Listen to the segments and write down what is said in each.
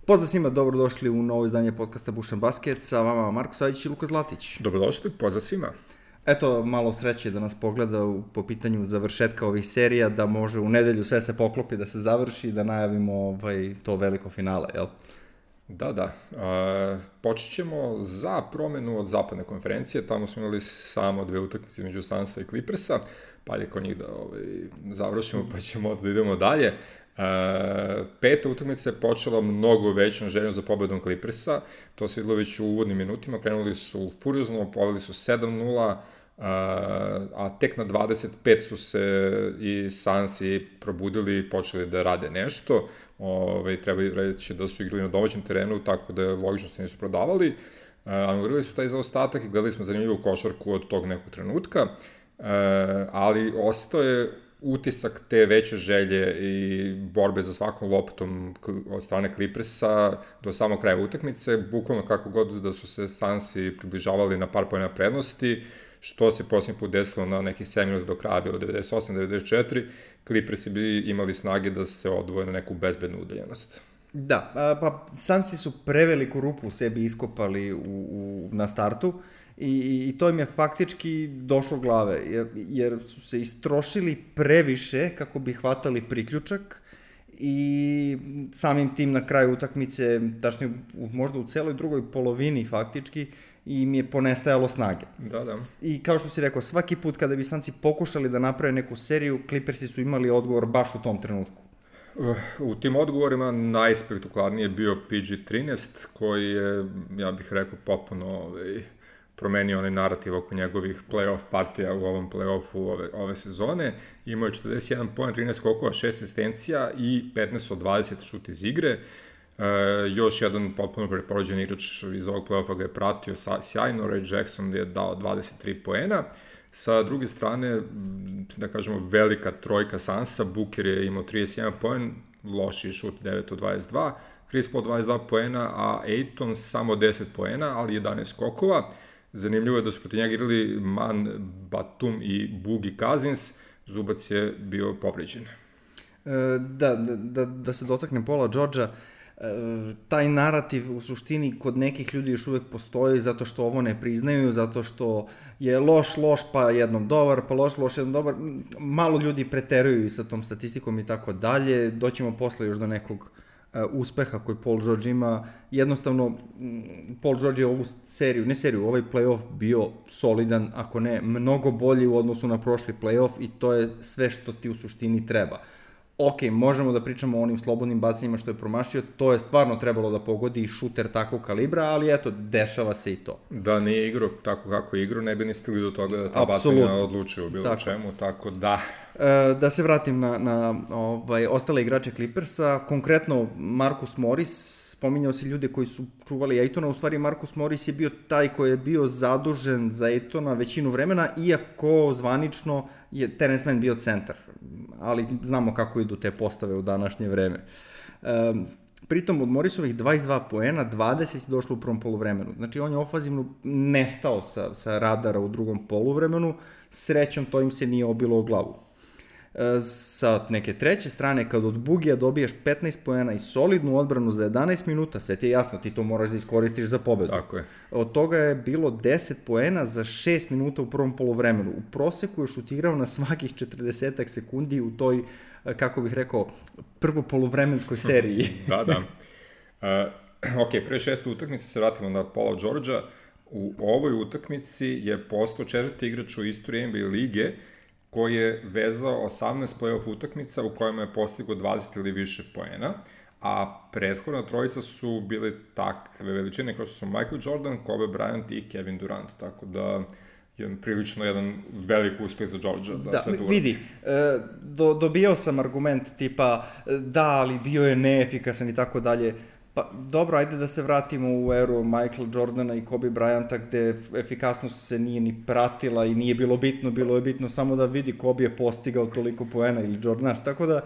Pozdrav svima, dobrodošli u novo izdanje podcasta Bušan Basket, sa vama Marko Savić i Luka Zlatić. Dobrodošli, pozdrav svima. Eto, malo sreće da nas pogleda po pitanju završetka ovih serija, da može u nedelju sve se poklopi, da se završi i da najavimo to veliko finale, jel? Da. Počet ćemo za promenu od zapadne konferencije, tamo smo imali samo 2 utakmice između Sunsa i Clippersa, pa je kod njih da završimo pa ćemo da idemo dalje. 5. utakmica je počela mnogo većom željom za pobedom Clippersa, to se videlo već u uvodnim minutima, krenuli su furiozno, poveli su 7-0, a tek na 25 su se i Sunsi probudili i počeli da rade nešto. Treba reći da su igrali na domaćem terenu, tako da je logično se nisu prodavali. Anulirali su taj zaostatak i gledali smo zanimljivu košarku od tog nekog trenutka, ali ostao je utisak te veće želje i borbe za svakom loptom od strane Clippersa do samog kraja utakmice, bukvalno kako god da su se Sunsi približavali na par pojena prednosti, što se posljednji put desilo na nekih 7 minuta do kraja, bilo 98-94, Clippersi bi imali snage da se odvoje na neku bezbednu udaljenost. Da, pa Sunsi su preveliku rupu u sebi iskopali na startu i to im je faktički došlo glave, jer su se istrošili previše kako bi hvatali priključak i samim tim na kraju utakmice, tačnije možda u celoj drugoj polovini faktički, im je ponestajalo snage. Da. I kao što si rekao, svaki put kada bi Sunsi pokušali da naprave neku seriju, Clippersi su imali odgovor baš u tom trenutku. U tim odgovorima najspektakularniji je bio PG-13, koji je, ja bih rekao, popuno promenio onaj narativ oko njegovih play-off partija u ovom play-offu ove sezone. Imao je 41 poen, 13 skokova, 6 asistencija i 15 od 20 šut iz igre. Još jedan potpuno preporođen igrač iz ovog play-offa ga je pratio sjajno, Ray Jackson je dao 23 poena. Sa druge strane, da kažemo, velika trojka Sunsa, Booker je imao 31 poen, loši šut 9 od 22, Chris Paul 22 poena, a Ayton samo 10 poena, ali 11 skokova. Zanimljivo je da su protiv njega igrali Man Batum i Boogie Cousins, Zubac je bio povređen. Da se dotaknem Paula Georgea, taj narativ u suštini kod nekih ljudi još uvek postoji zato što ovo ne priznaju, zato što je loš pa jednom dobar, pa loš jednom dobar. Malo ljudi preteruju i sa tom statistikom i tako dalje. Doćemo posle još do nekog uspeha koji Paul George ima. Jednostavno, Paul George je ovaj play-off bio solidan, ako ne mnogo bolji u odnosu na prošli play-off, i to je sve što ti u suštini treba. Ok, možemo da pričamo o onim slobodnim bacanjima što je promašio, to je stvarno trebalo da pogodi i šuter takvog kalibra, ali eto, dešava se i to. Da nije igrao tako kako je igrao, ne bi ni stigli do toga da ta bacanja odlučuju bilo čemu, tako da... Da se vratim na ostale igrače Clippersa, konkretno Marcus Morris, spominjao si ljude koji su čuvali Aytona, u stvari Marcus Morris je bio taj koji je bio zadužen za Aytona većinu vremena, iako zvanično je Terence Mann bio centar, ali znamo kako idu te postave u današnje vreme. Pritom od Morrisovih 22 poena, 20 je došlo u prvom poluvremenu. Znači on je ofazivno nestao sa radara u drugom poluvremenu, srećom to im se nije obilo o glavu. Sa neke treće strane, kad od Bugija dobiješ 15 poena i solidnu odbranu za 11 minuta, sve ti je jasno, ti to moraš da iskoristiš za pobedu. Tako je. Od toga je bilo 10 poena za 6 minuta u prvom polovremenu. U proseku je šutirao na svakih 40 sekundi u toj, kako bih rekao, prvo polovremenskoj seriji. Da. Ok, pre 6. utakmice se vratimo na Paula Georgea. U ovoj utakmici je postao 4. igrač u istoriji NBA lige koji je vezao 18 play-off utakmica u kojima je postigao 20 ili više poena, a prethodna trojica su bili takve veličine kao što su Michael Jordan, Kobe Bryant i Kevin Durant, tako da je prilično jedan velik uspeh za Georgea da sve to uradi. Vidi, dobijao sam argument tipa da, ali bio je neefikasan i tako dalje. Pa dobro, ajde da se vratimo u eru Michael Jordana i Kobe Bryanta, gde efikasnost se nije ni pratila i nije bilo bitno, bilo je bitno samo da vidi Kobe je postigao toliko poena ili Jordan, tako da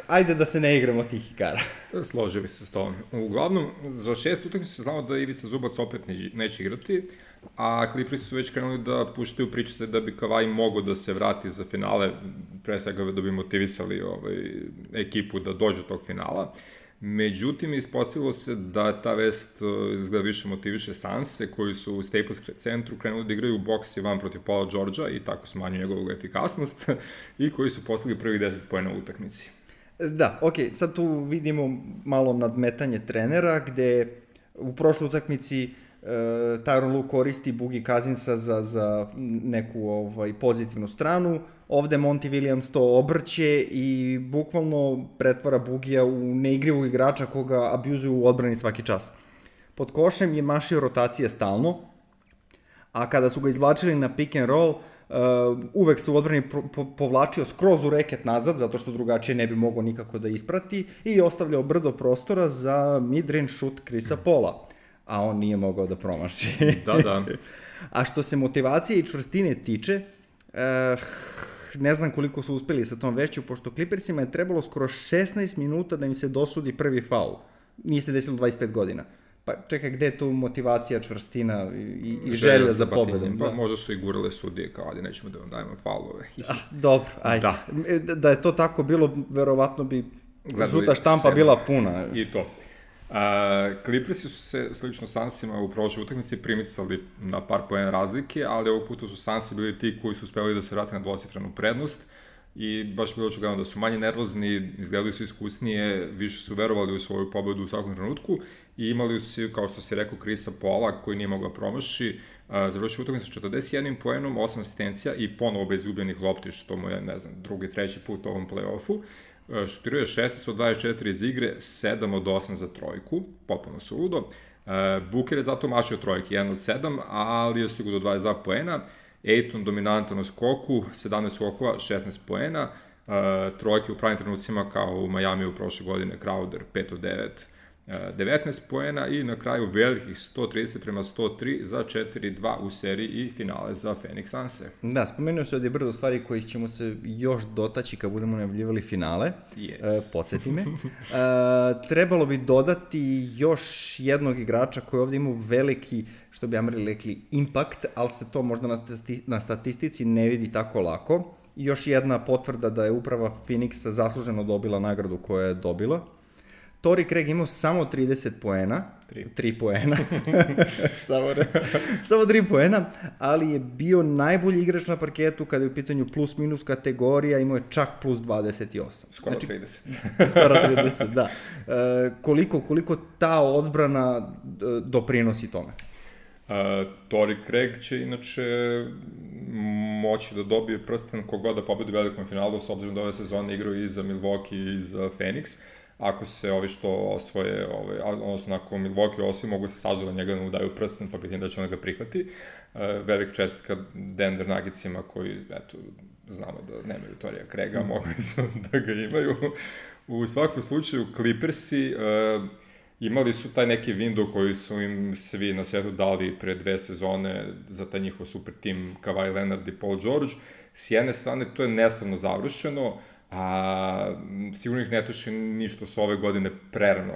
ajde da se ne igramo tih igara. Složio bi se s tom. Uglavnom, za 6 utakmica se znamo da Ivica Zubac opet neće igrati, a Clippersi su već krenuli da puštaju priče da bi Kawhi mogao da se vrati za finale, pre svega da bi motivisali ekipu da dođe do tog finala. Međutim, ispostavilo se da ta vest izgleda više motiviše Sanse, koji su u Staples centru krenuli da igraju boks 1 protiv Paula Georgea i tako smanju njegovu efikasnost i koji su postigli prvih 10 poena u utakmici. Da, sad tu vidimo malo nadmetanje trenera, gde u prošloj utakmici Tyronn Lue koristi Boogie Cousinsa za neku pozitivnu stranu, ovde Monty Williams to obrće i bukvalno pretvara Boogija u neigrivog igrača koga abuzuju u odbrani svaki čas. Pod košem je mašio rotacije stalno, a kada su ga izvlačili na pick and roll, uvek se u odbrani povlačio skroz u reket nazad, zato što drugačije ne bi mogao nikako da isprati, i ostavljao brdo prostora za mid-range shoot Chrisa Paula, a on nije mogao da promaši. Da. A što se motivacije i čvrstine tiče, ne znam koliko su uspeli sa tom vešću, pošto Clippersima je trebalo skoro 16 minuta da im se dosudi prvi faul. Nije se desilo 25 godina. Pa čekaj, gde je tu motivacija, čvrstina i želja za pobedom? Pa možda su i gurale sudije kao, ali nećemo da vam dajemo faulove. Dobro, ajde. Da je to tako bilo, verovatno bi žuta štampa bila puna. I to. Clippersi su se, slično Sunsima, u prošloj utakmici primicali na par poena razlike, ali ovog puta su Sunsi bili ti koji su uspeli da se vrate na dvocifrenu prednost i baš bilo očigledno da su manje nervozni, izgledali su iskusnije, više su verovali u svoju pobedu u svakom trenutku i imali su, kao što si rekao, Chrisa Paula koji nije mogao promaši, završio utakmicu 41 poenom, 8 asistencija i ponovo bez izgubljenih lopti, što mu je, ne znam, drugi, treći put u ovom play-offu. Šutirao je 16 od 24 iz igre, 7 od 8 za trojku, potpuno suludo. Booker je zato mašio trojke, 1 od 7, ali je stigao do 22 poena. Ayton dominantan u skoku, 17 skokova, 16 poena. Trojke u pravim trenucima kao u Majamiju prošle godine, Crowder 5 od 9, 19 poena i na kraju velikih 130-103 za 4-2 u seriji i finale za Phoenix Sunse. Da, spomenuo se ovdje brdo stvari kojih ćemo se još dotaći kad budemo najavljivali finale. Yes. Podsjeti me. Trebalo bi dodati još jednog igrača koji ovdje ima veliki, što bi Amri rekli, impact, ali se to možda na statistici ne vidi tako lako. Još jedna potvrda da je uprava Phoenixa zasluženo dobila nagradu koju je dobila. Torrey Craig imao samo 30 poena, 3 poena, samo 3 poena, ali je bio najbolji igrač na parketu kada je u pitanju plus minus kategorija, imao je čak plus 28. Skoro 30. Skoro 30, da. Koliko ta odbrana doprinosi tome? Torrey Craig će inače moći da dobije prsten kogod da pobedi u velikom finalu, s obzirom da ove sezone igraju i za Milwaukee i za Phoenix. Ako se ovi što osvoje, odnosno ako Milwaukee osvoje, mogu se sažava njega da mu daju prsten, pa pitam da će on ga prihvati. Velik čestitka Denver Nuggetsima koji, eto, znamo da nemaju Torreya Craiga, mogli su da ga imaju. U svakom slučaju, Clippersi imali su taj neki window koji su im svi na svijetu dali pre 2 sezone za taj njihov super tim Kawhi Leonard i Paul George. S jedne strane, to je nestavno završeno, a sigurno ih ne tuši ništa su ove godine prerano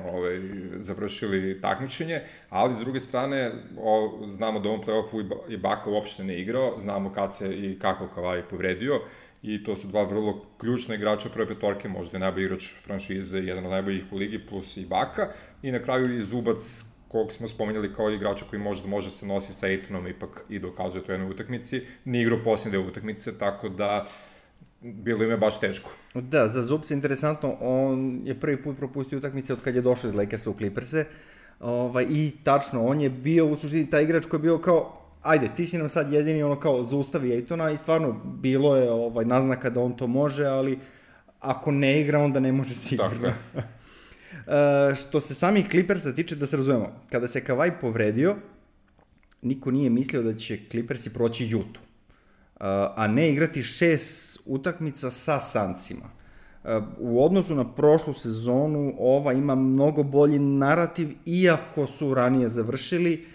završili takmičenje, ali s druge strane znamo da u ovom play-offu Ibaka uopšte ne igrao, znamo kad se i kako Kawhi povredio i to su dva vrlo ključna igrača prve petorke, možda je najbolji igrač franšize, jedan od najboljih u ligi plus Ibaka i na kraju i Zubac kog smo spomenjali kao igrača koji možda može se nosi sa Aytonom ipak i dokazuje to u jednoj utakmici, nije igrao posljednje deo utakmice, tako da bilo im je baš teško. Da, za Zubca interesantno, on je prvi put propustio utakmice od kad je došao iz Lakersa u Clipperse i tačno, on je bio u suštini taj igrač koji je bio kao, ajde, ti si nam sad jedini ono kao zaustavi Aytona i stvarno bilo je naznaka da on to može, ali ako ne igra onda ne može sigurno. Što se samih Clippersa tiče, da se razumemo, kada se Kawhi povredio, niko nije mislio da će Clippersi proći Utah, a ne igrati 6 utakmica sa Sunsima. U odnosu na prošlu sezonu, ova ima mnogo bolji narativ, iako su ranije završili,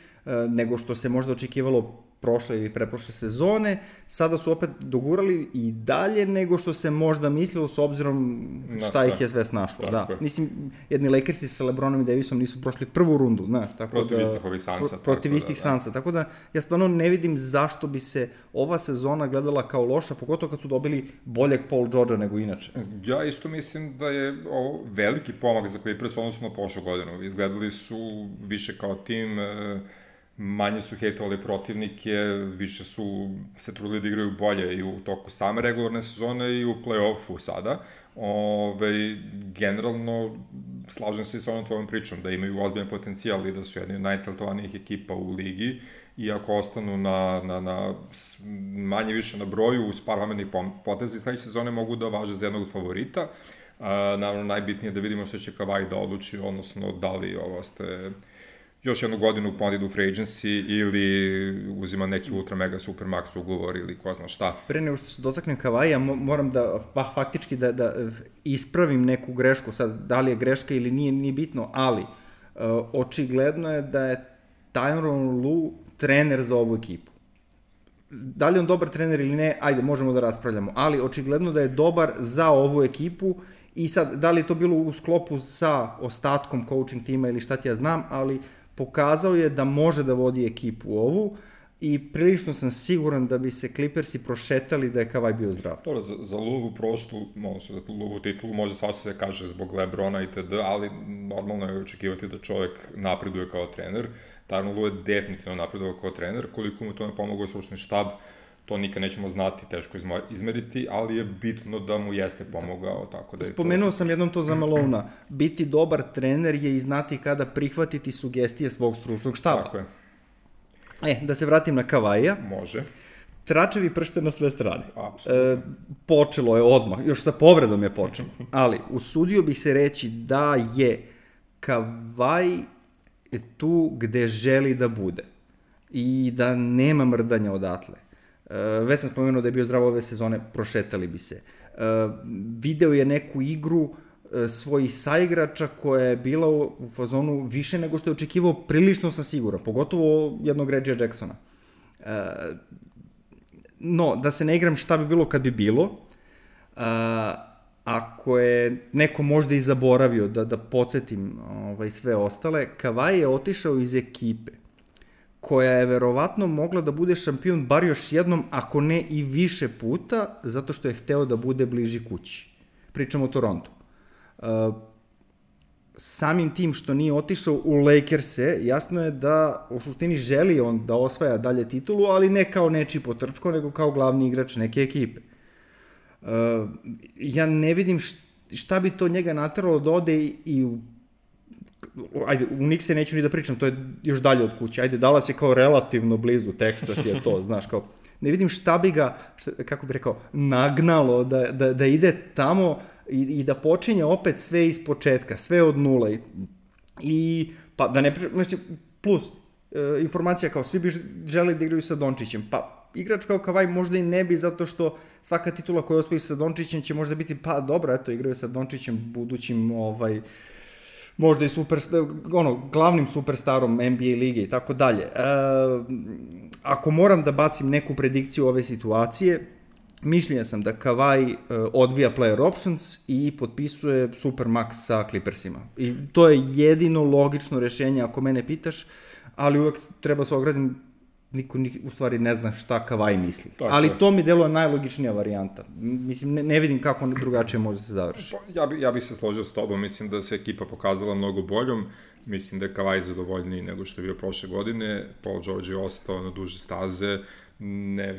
nego što se možda očekivalo prošle ili preprošle sezone, sada su opet dogurali i dalje nego što se možda mislilo s obzirom šta ih je sve snašlo. Da. Mislim, jedni Lakersi sa LeBronom i Davisom nisu prošli prvu rundu, znaš, tako protiv istih ovih Sansa. Protiv istih Sansa, tako da ja stvarno ne vidim zašto bi se ova sezona gledala kao loša, pogotovo kad su dobili boljeg Paul Georgea nego inače. Ja isto mislim da je ovo veliki pomak za Clippers odnosno na prošlu godinu. Izgledali su više kao tim, manje su hejtovali protivnike, više su se trudili da igraju bolje i u toku same regularne sezone i u play-offu sada. Generalno, slažem se i s ovom tvojom pričom, da imaju ozbiljan potencijal i da su jedni od najtalentovanijih ekipa u ligi i ako ostanu na manje više na broju uz par pametnih poteza i sledeće sezone mogu da važe za jednog od favorita. Naravno, najbitnije je da vidimo što će Kawhi da odluči, odnosno da li ovo ste još jednu godinu ponudi u free agency ili uzima neki ultra mega super max ugovor ili ko zna šta. Pre nego što se dotaknem Kawhija, moram da, faktički da ispravim neku grešku, sad da li je greška ili nije bitno, ali očigledno je da je Tyronn Lue trener za ovu ekipu. Da li on dobar trener ili ne, ajde, možemo da raspravljamo, ali očigledno da je dobar za ovu ekipu i sad, da li je to bilo u sklopu sa ostatkom coaching tima ili šta ti ja znam, ali pokazao je da može da vodi ekipu ovu i prilično sam siguran da bi se Clippersi prošetali da je Kawhi bio zdrav. Dobro, za Luvu prošlu, odnosno za Luvu titulu može svašta se kaže zbog LeBrona itd., ali normalno je očekivati da čovjek napreduje kao trener. Tyronn Lue je definitivno napredovao kao trener, koliko mu to ne pomogao stručni štab, to nikad nećemo znati, teško izmeriti, ali je bitno da mu jeste pomogao. Tako da spomenuo sam jednom to za Malona, biti dobar trener je i znati kada prihvatiti sugestije svog stručnog štaba. Tako je. Da se vratim na Kawhija. Može. Tračevi pršte na sve strane. Apsolutno. Počelo je odmah, još sa povredom je počelo, ali usudio bih se reći da je Kawhi tu gde želi da bude i da nema mrdanja odatle. Već sam spomenuo da je bio zdrav ove sezone, prošetali bi se. Video je neku igru svojih saigrača koja je bila u fazonu više nego što je očekivao, prilično sam siguran, pogotovo jednog Reggie Jacksona. No, da se ne igram šta bi bilo kad bi bilo, ako je neko možda i zaboravio da podsjetim sve ostale, Kawhi je otišao iz ekipe koja je verovatno mogla da bude šampion bar još jednom, ako ne i više puta, zato što je hteo da bude bliži kući. Pričamo o Torontu. Samim tim što nije otišao u Lakers-e, jasno je da u suštini želi on da osvaja dalje titulu, ali ne kao nečiji potrčko, nego kao glavni igrač neke ekipe. Ja ne vidim šta bi to njega nateralo da ode i u Knickse neću ni da pričam, to je još dalje od kuće. Dallas je kao relativno blizu, Texas je to, znaš, kao, ne vidim šta bi ga, kako bi rekao, nagnalo da ide tamo i da počinje opet sve iz početka, sve od nula. I pa da ne pričam, plus, informacija kao, svi bi želi da igraju sa Dončićem, pa igrač kao Kawhi možda i ne bi, zato što svaka titula koja osvoji sa Dončićem će možda biti, pa dobro, eto, igraju sa Dončićem, budućim, možda i glavnim superstarom NBA lige i tako dalje. Ako moram da bacim neku predikciju ove situacije, mišljenja sam da Kawhi odbija player options i potpisuje supermax sa Clippersima. I to je jedino logično rešenje ako mene pitaš, ali uvek treba se ogradim, niko u stvari ne zna šta Kawhi misli. Tako ali to mi deluje najlogičnija varijanta. Mislim, ne vidim kako drugačije može se završi. Ja bih se složio s tobom, mislim da se ekipa pokazala mnogo boljom, mislim da je Kawhi zadovoljniji nego što je bio prošle godine, Paul George je ostao na duže staze,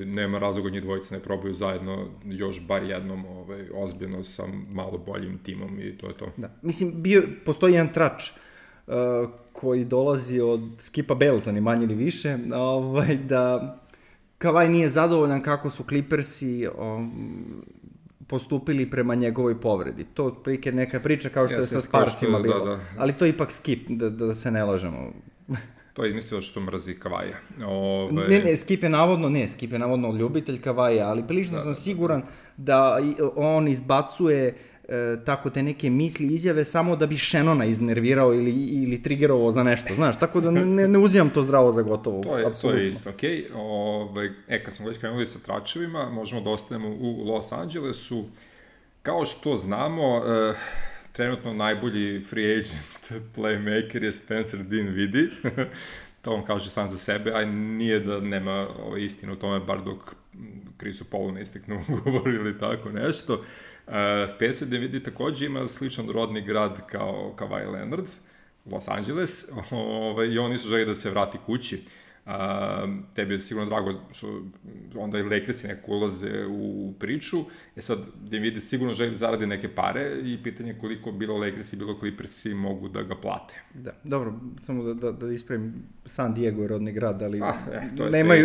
nema razloga njih dvojica ne probaju zajedno još bar jednom ozbiljno sa malo boljim timom i to je to. Da. Mislim, postoji jedan trač koji dolazi od Skipa Balesa, ni manje ni više, da Kawhi nije zadovoljan kako su Clippersi postupili prema njegovoj povredi. To otprilike neka priča kao što je sa Sparsima bilo. Da. Ali to je ipak Skip, da se ne lažemo. To je izmislio što mrzi Kawhija. Skip je navodno ljubitelj Kawhija, ali prilično sam siguran da on izbacuje tako te neke misli, izjave, samo da bi Shannona iznervirao ili triggerovao za nešto, znaš, tako da ne uzimam to zdravo za gotovo. To je isto, okej. Kad smo već krenuli sa tračevima, možemo da ostanemo u Los Angelesu. Kao što znamo, trenutno najbolji free agent playmaker je Spencer Dinwiddie. To on kaže sam za sebe, a nije da nema istinu u tome, bar dok Chrisu Paulu ne istekne ugovor ili tako nešto. Spencer Dinwiddie takođe ima sličan rodni grad kao Kawhi Leonard, Los Angeles, i oni su želi da se vrati kući. Tebi je sigurno drago što onda i Lakersi neko ulaze u priču. Sad, Dinwiddie sigurno želi da zaradi neke pare i pitanje koliko bilo Lakersi, bilo Clippersi mogu da ga plate. Da, dobro, samo da ispravim, San Diego je rodni grad, ali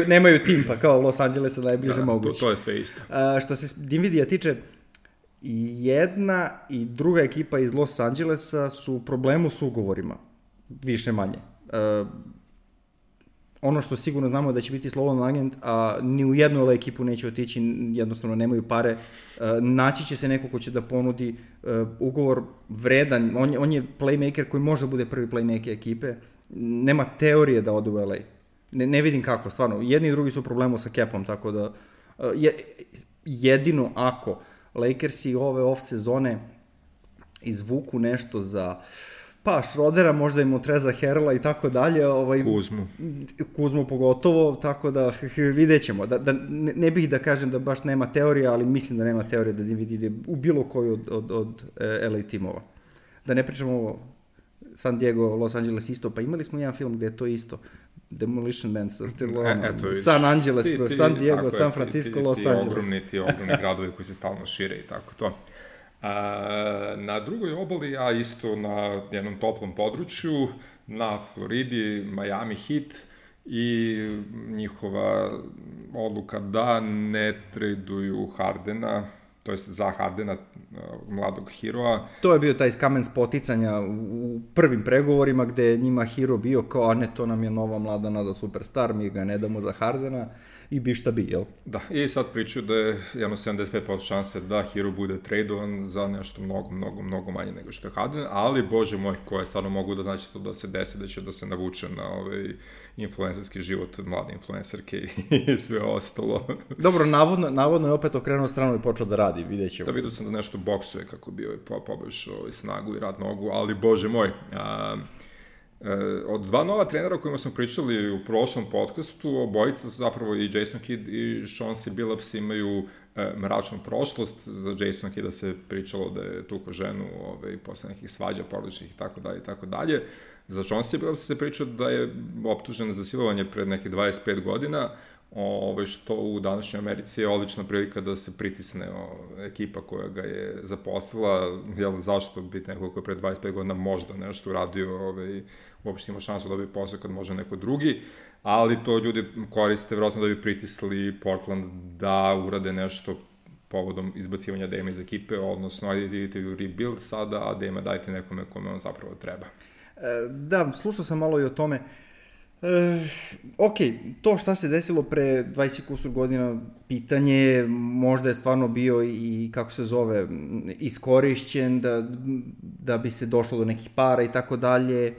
nemaju tim, pa kao Los Angelesa najbliže moguće. To je sve isto. Što se Dinwiddie tiče, jedna i druga ekipa iz Los Angelesa su u problemu s ugovorima, više manje. Ono što sigurno znamo je da će biti slobodan agent, a ni u jednu ekipu neće otići, jednostavno nemaju pare. Naći će se neko ko će da ponudi ugovor vredan, on je playmaker koji može da bude prvi playmaker ekipe, nema teorije da ode u LA. Ne vidim kako, stvarno. Jedni i drugi su u problemu sa capom, tako da jedino ako Lakersi ove off sezone izvuku nešto za Schrodera, možda im Montreza Harrella i tako dalje. Kuzmu pogotovo, tako da vidjet ćemo. Ne bih da kažem da baš nema teorija, ali mislim da nema teorije da Dinwiddie ide u bilo koju od LA timova. Da ne pričamo ovo San Diego, Los Angeles isto, pa imali smo jedan film gde je to isto. Demolition Man sa Stillonom, San Angeles, San Diego, San Francisco, Los Angeles. Ti ogromni gradovi koji se stalno šire i tako to. Na drugoj obali, a isto na jednom toplom području, na Floridi, Miami Heat i njihova odluka da ne traduju Hardena, to jest za Hardena, mladog Heroa. To je bio taj kamen spoticanja u prvim pregovorima gde je njima Hero bio kao, a ne, to nam je nova mlada nada superstar, mi ga ne damo za Hardena i bi šta bi, jel? Da, i sad pričaju da je jedno 75% šanse da Hero bude tradovan za nešto mnogo manje nego što je Harden, ali, bože moj, koje stvarno mogu da znači to da se desi, da će da se navuče na influencerski život mlade influencerke i sve ostalo. Dobro, navodno je opet okrenuo stranu i počeo da radi, vidjet ćemo. Da, vidio sam da nešto boksuje kako bi poboljšao snagu i rad nogu, ali, bože moj, od dva nova trenera o kojima smo pričali u prošlom podcastu, obojica su zapravo i Jason Kidd i Chauncey Billups imaju mračnu prošlost. Za Jasona Kidda se pričalo da je tuko ženu posle nekih svađa porodičnih i tako dalje. Za Chauncey Billups se priča da je optužen za silovanje pred neke 25 godina, što u današnjoj Americi je odlična prilika da se pritisne ekipa koja ga je zaposlila, zašto biti neko koji je pred 25 godina možda nešto uradio, uopšte ima šansu da dobije posao kad može neko drugi, ali to ljudi koriste vjerojatno da bi pritisli Portland da urade nešto povodom izbacivanja Dame iz ekipe, odnosno ajde idete u rebuild sada, a Dame dajte nekome kome on zapravo treba. Da, slušao sam malo i o tome. To šta se desilo pre 20 kusur godina, pitanje, možda je stvarno bio i, kako se zove, iskorišćen da bi se došlo do nekih para i tako dalje.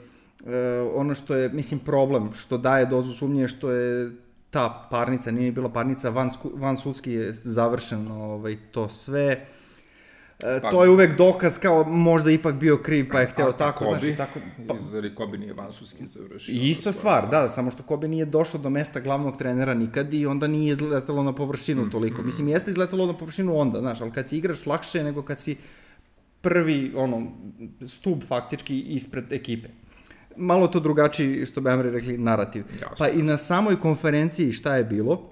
Ono što je, mislim, problem, što daje dozu sumnje, što je ta parnica, nije bila parnica, van sudski je završeno to sve. To je uvek dokaz kao možda ipak bio kriv pa je hteo tako, znaš i tako. Zari Kobe nije vansudski završio. Ista stvar, da, samo što Kobe nije došao do mesta glavnog trenera nikad i onda nije izletalo na površinu toliko. Mislim, jeste izletalo na površinu onda, znaš, ali kad si igraš lakše nego kad si prvi, stub faktički ispred ekipe. Malo to drugačiji, što bi Amri rekli, narativ. Pa i na samoj konferenciji šta je bilo,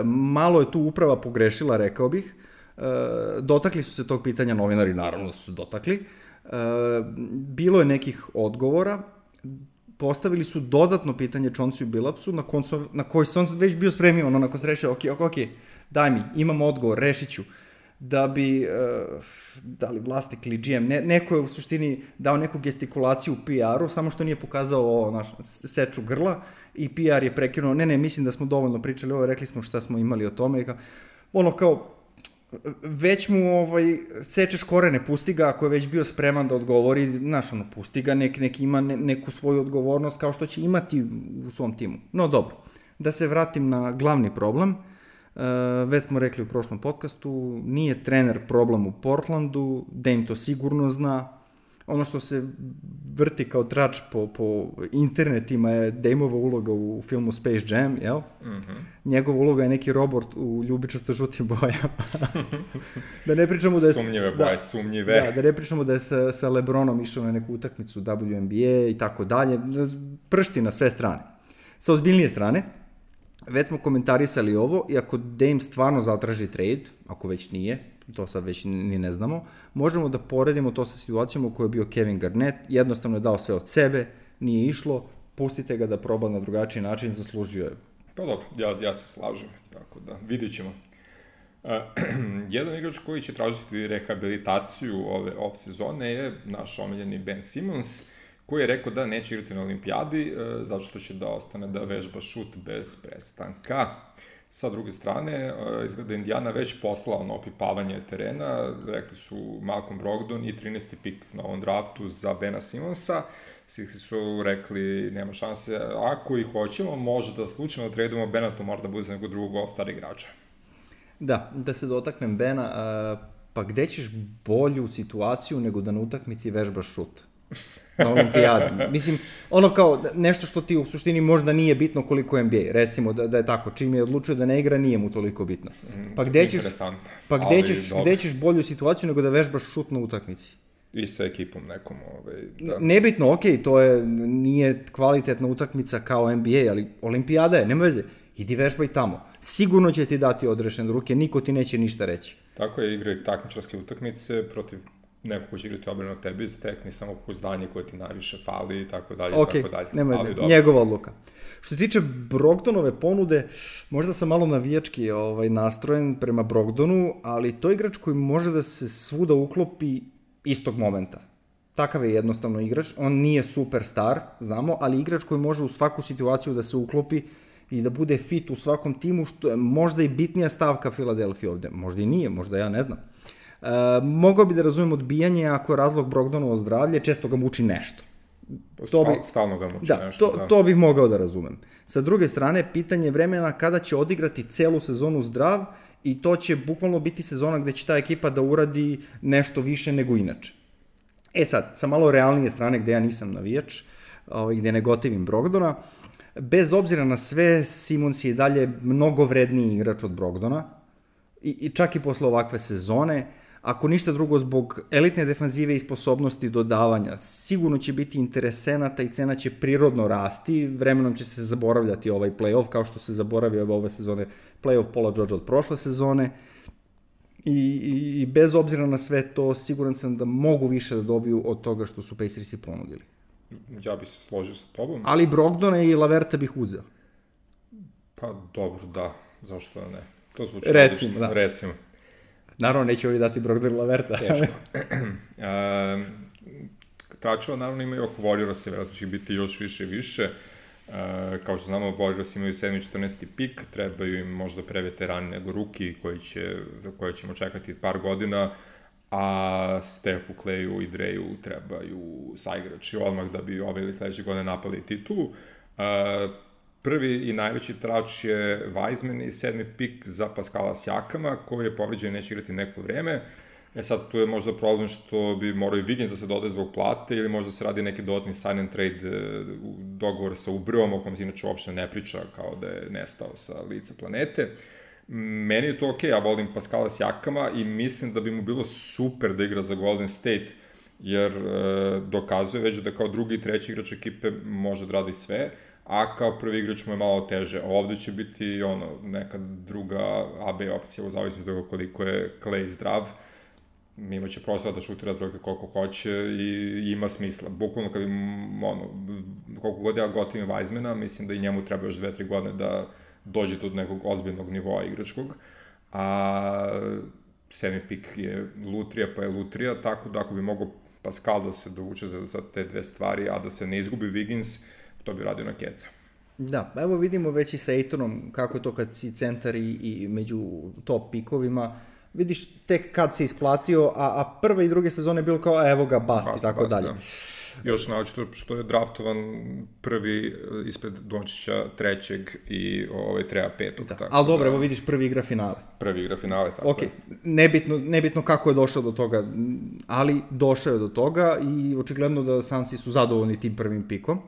malo je tu uprava pogrešila, rekao bih. Dotakli su se tog pitanja novinari, naravno su dotakli. Bilo je nekih odgovora, postavili su dodatno pitanje Chauncey Billupsu, na koji se on već bio spremio, nakon se rešio, ok, daj mi, imam odgovor, rešit ću. Da bi, da li vlasnik ili GM, neko je u suštini dao neku gestikulaciju u PR-u, samo što nije pokazao seču grla i PR je prekinuo, ne, mislim da smo dovoljno pričali ovo, rekli smo šta smo imali o tome i kao, već mu sečeš korene, pusti ga, ako je već bio spreman da odgovori, znaš, pusti ga, nek ima neku svoju odgovornost kao što će imati u svom timu. No dobro, da se vratim na glavni problem. Već smo rekli u prošlom podcastu, nije trener problem u Portlandu, Dame to sigurno zna. Ono što se vrti kao trač po internetima je Dameova uloga u filmu Space Jam, jel? Mm-hmm. Njegova uloga je neki robot u ljubičasto žutim bojama. Da ne pričamo da je... Sumnjive boje, sumnjive. Da ne pričamo da je sa LeBronom išao na neku utakmicu WNBA i tako dalje. Pršti na sve strane. Sa ozbiljnije strane, već smo komentarisali ovo i ako Dame stvarno zatraži trade, ako već nije, to sad već ni ne znamo, možemo da poredimo to sa situacijom u kojoj je bio Kevin Garnett, jednostavno je dao sve od sebe, nije išlo, pustite ga da proba na drugačiji način, zaslužio je. Pa dobro, ja se slažem, tako da vidjet ćemo. Jedan igrač koji će tražiti rehabilitaciju ove off sezone je naš omiljeni Ben Simmons, koji je rekao da neće igrati na olimpijadi, zato što će da ostane da vežba šut bez prestanka. Sa druge strane, izgleda Indiana već poslao na opipavanje terena, rekli su Malcolm Brogdon i 13. pik na ovom draftu za Bena Simmonsa. Sixi su rekli, nema šanse, ako ih hoćemo, može da slučajno tradujemo Bena, to mora da bude za nekog drugog all-star igrača. Da se dotaknem Bena, pa gde ćeš bolju situaciju nego da na utakmici vežbaš šut? Na olimpijadi. Mislim, ono kao nešto što ti u suštini možda nije bitno koliko je NBA. Recimo da je tako, čim je odlučio da ne igra, nije mu toliko bitno. Pa gde ćeš bolju situaciju nego da vežbaš šut na utakmici? I sa ekipom nekom. Da. Nebitno, to nije kvalitetna utakmica kao NBA, ali olimpijada je, nema veze. Idi vežbaj tamo. Sigurno će ti dati odrešene ruke, niko ti neće ništa reći. Tako je, igraj takmičarske utakmice protiv neko ko će igrati obranu od tebi, stekni samo pouzdanje koje ti najviše fali i tako dalje. Nema veze, njegova odluka. Što se tiče Brogdonove ponude, možda sam malo navijački nastrojen prema Brogdonu, ali to je igrač koji može da se svuda uklopi istog momenta. Takav je jednostavno igrač, on nije superstar, znamo, ali igrač koji može u svaku situaciju da se uklopi i da bude fit u svakom timu, što je možda i bitnija stavka Filadelfije ovde. Možda i nije, možda ja ne znam. Mogao bi da razumem odbijanje ako je razlog Brogdonovo zdravlje, često ga muči nešto. Stalno ga muči nešto. To bih mogao da razumem. Sa druge strane, pitanje vremena kada će odigrati celu sezonu zdrav i to će bukvalno biti sezona gde će ta ekipa da uradi nešto više nego inače. Sad, sa malo realnije strane gde ja nisam navijač, gde ne gotivim Brogdona, bez obzira na sve, Simons je dalje mnogo vredniji igrač od Brogdona i čak i posle ovakve sezone. Ako ništa drugo, zbog elitne defanzive i sposobnosti dodavanja, sigurno će biti interesenata i cena će prirodno rasti, vremenom će se zaboravljati ovaj play-off, kao što se zaboravio ove sezone play-off Paula Georgea od prošle sezone. I bez obzira na sve to, siguran sam da mogu više da dobiju od toga što su Pacersi ponudili. Ja bih se složio sa tobom. Ali Brogdona i Laverta bih uzeo. Pa dobro, da, zašto ne? To zvuči recimo. Naravno, neće ovi dati Brogdon Laverta. Teško. Tračeva naravno imaju oko Warriorsa, vjerojatno će biti još više i više. Kao što znamo, Warriors imaju 7. i 14. pik, trebaju im možda preveterani nego ruki za koje ćemo čekati par godina, a Stefu, Clayu i Dreju trebaju saigrači odmah da bi ove ili sledeće godine napali titulu. Prvi i najveći trač je Wiseman i 7. pik za Pascala Siakama, koji je povređen i neće igrati neko vreme. Sad tu je možda problem što bi morao i Wiggins da se dodaje zbog plate ili možda se radi neki dodatni sign and trade dogovor sa Ubrom, o kom se inače uopšte ne priča kao da je nestao sa lica planete. Meni je to okej, ja volim Pascala Siakama i mislim da bi mu bilo super da igra za Golden State, jer dokazuje već da kao drugi i treći igrač ekipe može da radi sve, a kao prvi igrač mu je malo teže. Ovde će biti neka druga AB opcija u zavisnosti od toga koliko je Clay zdrav. Imaće prostora da šutira trojke koliko hoće i ima smisla. Bukvalno kad koliko god ja gotivim Wisemana, mislim da i njemu treba još 2-3 godine da dođe do nekog ozbiljnog nivoa igračkog. A 7. pik je lutrija, pa je lutrija, tako da ako bi mogao Pascal da se dovuče za te dve stvari, a da se ne izgubi Wiggins, to bi radio na keca. Da, vidimo već i sa Aytonom kako je to kad si centar i među top pikovima. vidiš tek kad se isplatio, a prve i druge sezone je bilo kao evo ga, bast i tako dalje. Da. Još naočito što je draftovan prvi ispred Dončića trećeg i Treja petog. Da. Ali dobro, evo vidiš, prvi igra finale. Prvi igra finale, tako je. Nebitno kako je došao do toga, ali došao je do toga i očigledno da Sunsi su zadovoljni tim prvim pikom.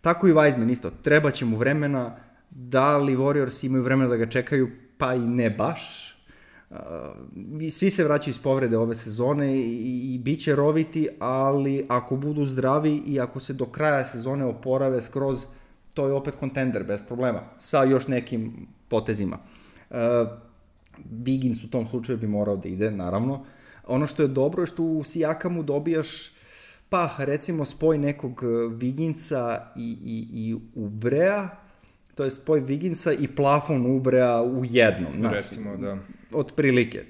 Tako i Wiseman isto, treba će mu vremena, da li Warriors imaju vremena da ga čekaju, pa i ne baš. Svi se vraćaju iz povrede ove sezone i bit će roviti, ali ako budu zdravi i ako se do kraja sezone oporave skroz, to je opet kontender bez problema, sa još nekim potezima. Wiggins u tom slučaju bi morao da ide, naravno. Ono što je dobro je što u Sijakamu dobijaš, pa recimo spoj nekog Wigginsa i Ubrea, to je spoj Wigginsa i plafon Ubrea u jednom. Recimo, da. Otprilike.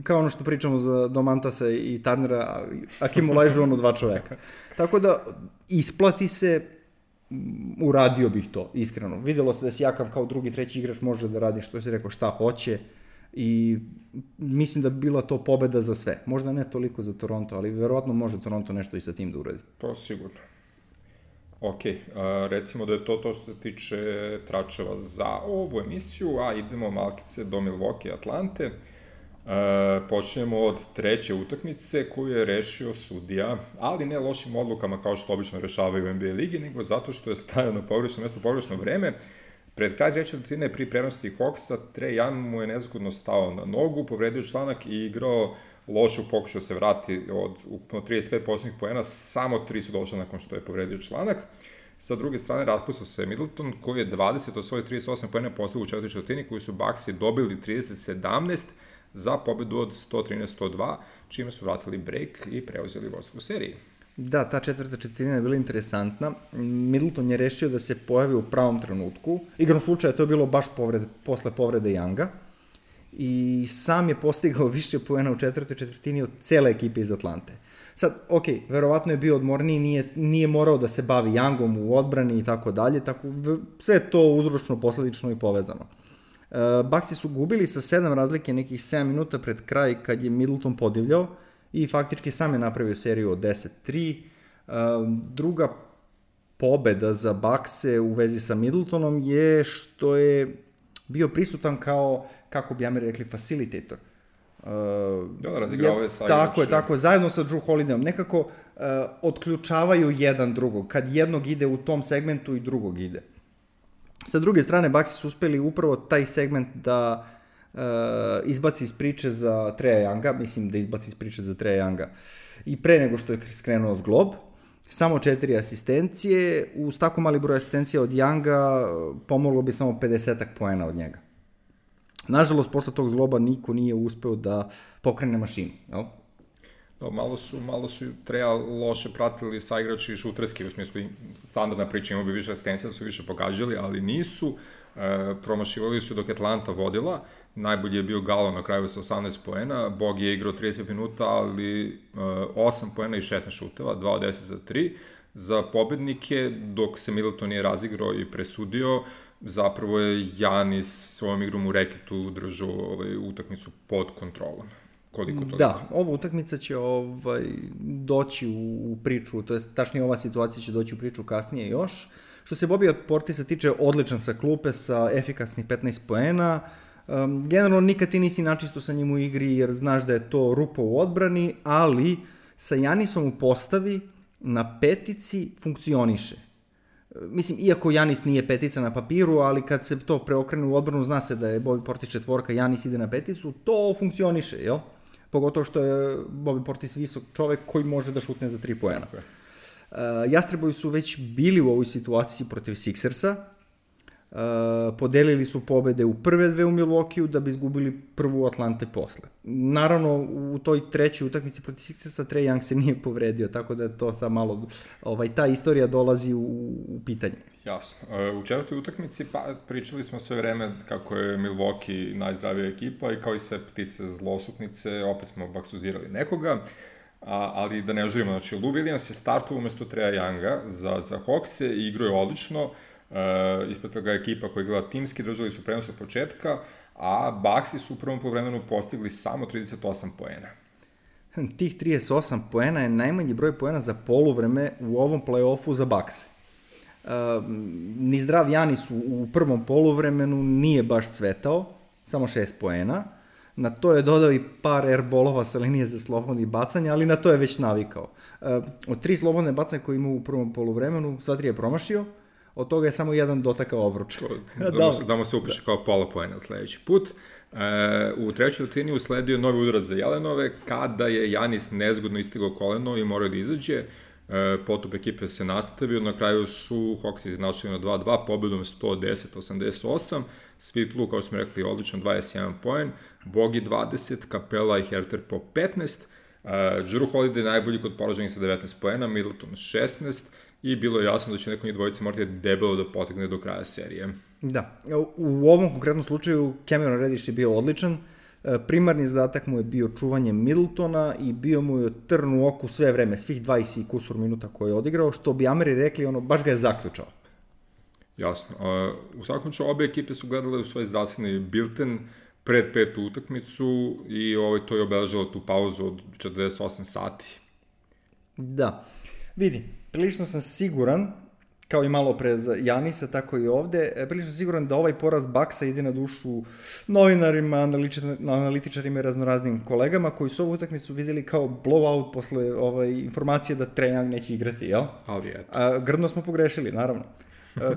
Kao ono što pričamo za Domantasa i Turnera, Akim Olajuwonu dva čoveka. Tako da, isplati se, uradio bih to, iskreno. Videlo se da Sijakam kao drugi, treći igrač može da radi što si rekao šta hoće i mislim da bi bila to pobeda za sve. Možda ne toliko za Toronto, ali verovatno može Toronto nešto i sa tim da uradi. To sigurno. Ok, recimo da je to što se tiče tračeva za ovu emisiju, a idemo malkice do Milwaukee i Atlante. Počinjemo od treće utakmice koju je rešio sudija, ali ne lošim odlukama kao što obično rešavaju u NBA ligi, nego zato što je stajao na pogrešno mesto, pogrešno vreme. Pred kraj treće četvrtine pri prednosti Hawksa, Trae Young mu je nezgodno stao na nogu, povredio članak i igrao loše u pokušaju se vrati od ukupno 35 posljednjih poena, samo 3 su došle nakon što je povredio članak. Sa druge strane, raspustio se Middleton, koji je 20 od svojih 38 poena postavio u četvrtoj četvrtini, koji su Bucksi dobili 30-17 za pobedu od 113-102, čime su vratili break i preuzeli vodstvo u seriji. Da, ta četvrta četvrtina je bila interesantna. Middleton je rešio da se pojavi u pravom trenutku. Igrom slučaja to je bilo baš posle povrede Younga. I sam je postigao više poena u četvrtoj četvrtini od cele ekipe iz Atlante. Sad, ok, verovatno je bio odmorniji, nije morao da se bavi Youngom u odbrani i tako dalje, tako sve je to uzročno, posledično i povezano. Bucksi su gubili sa 7 razlike nekih 7 minuta pred kraj kad je Middleton podivljao i faktički sam je napravio seriju od 10-3. Druga pobeda za Buckse u vezi sa Middletonom je što je bio prisutan kao, kako bi Ameri rekli, facilitator. Razigravao je sa Tako, zajedno sa Drew Holidayom. Nekako otključavaju jedan drugog. Kad jednog ide u tom segmentu i drugog ide. Sa druge strane, Bucksi su uspeli upravo taj segment da izbaci iz priče za Treja Younga, mislim da izbaci iz priče za Treja Younga i pre nego što je skrenuo zglob, samo 4 asistencije, uz tako mali broj asistencija od Younga pomoglo bi samo 50 poena od njega. Nažalost, posle tog zgloba niko nije uspeo da pokrene mašinu, jel? Da, malo su Treja loše pratili sa igrači šuterski, u smislu standardna priča, imao bi više asistencija, da su više pogađali, ali nisu. Promašivali su dok Atlanta vodila, najbolji je bio Galo na kraju sa 18 poena, Bog je igrao 30 minuta, ali 8 poena i 16 šuteva, 2 od 10 za 3, za pobednike, dok se Middleton nije razigrao i presudio, zapravo je Giannis svojom igrom u reketu držao utakmicu pod kontrolom. Da, ova utakmica će doći u priču, to je tačnije ova situacija će doći u priču kasnije još. Što se Bobija Portisa tiče, odličan sa klupe, sa efikasnih 15 poena. Generalno nikad ti nisi načisto sa njim u igri jer znaš da je to rupa u odbrani, ali sa Giannisom u postavi na petici funkcioniše. Mislim, iako Giannis nije petica na papiru, ali kad se to preokrene u odbranu, zna se da je Bobby Portis četvorka, Giannis ide na peticu, to funkcioniše, jel? Pogotovo što je Bobby Portis visok čovek koji može da šutne za 3 poena. Jastrebovi su već bili u ovoj situaciji protiv Sixersa, podelili su pobede u prve dve u Milwaukee da bi izgubili prvu u Atlante posle. Naravno, u toj trećoj utakmici protiv Sixersa Trae Young se nije povredio, tako da je to sad malo, ta istorija dolazi u pitanje. Jasno. U četvrtoj utakmici pričali smo sve vreme kako je Milwaukee najzdravija ekipa i kao i sve ptice zlosutnice, opet smo baksuzirali nekoga. Ali da ne želimo, znači Lou Williams je startovao umesto Treja Younga za Hawkse i igrao je odlično, ispratila ga ekipa koja je igrala timski, držali su prenos od početka, a Bucksi su u prvom poluvremenu postigli samo 38 poena. Tih 38 poena je najmanji broj poena za poluvreme u ovom play-offu za Buckse. Ni zdrav Janis u prvom poluvremenu nije baš cvetao, samo 6 poena. Na to je dodao i par airbolova sa linije za slobodnih bacanja, ali na to je već navikao. Od 3 slobodne bacanja koje imao u prvom poluvremenu, sva 3 je promašio, od toga je samo jedan dotakao obruč. Da mu se upiše kao pola poena sledeći put. U trećoj četvrtini usledio novi udarac za Jelenove, kada je Janis nezgodno istigao koleno i morao da izađe. Potup ekipe se nastavio, na kraju su Hawks izjednačili na 2-2, pobedom 110-88, Svitlu, kao smo rekli, odličan 21 poen, Bogi 20, Capela i Herter po 15, Jrue Holiday najbolji kod poraženih sa 19 poena, Middleton 16 i bilo je jasno da će neko njih dvojice morati debelo da potegne do kraja serije. Da, u ovom konkretnom slučaju Cameron Reddish je bio odličan, primarni zadatak mu je bio čuvanje Middletona i bio mu je trn u oku sve vreme, svih 20 i kusur minuta koje je odigrao, što bi Ameri rekli, baš ga je zaključao. Jasno. U svakom ču, obe ekipe su gledale u svoj zdravstveni bilten pred petu utakmicu i to je obeležalo tu pauzu od 48 sati. Da. Vidi, prilično sam siguran, kao i malo pre za Janisa, tako i ovde, prilično siguran da ovaj poraz Bucksa ide na dušu novinarima, analitičarima i raznoraznim kolegama koji su ovu utakmicu videli kao blowout posle informacije da Trae Young neće igrati, jel? Ali eto. Grdno smo pogrešili, naravno.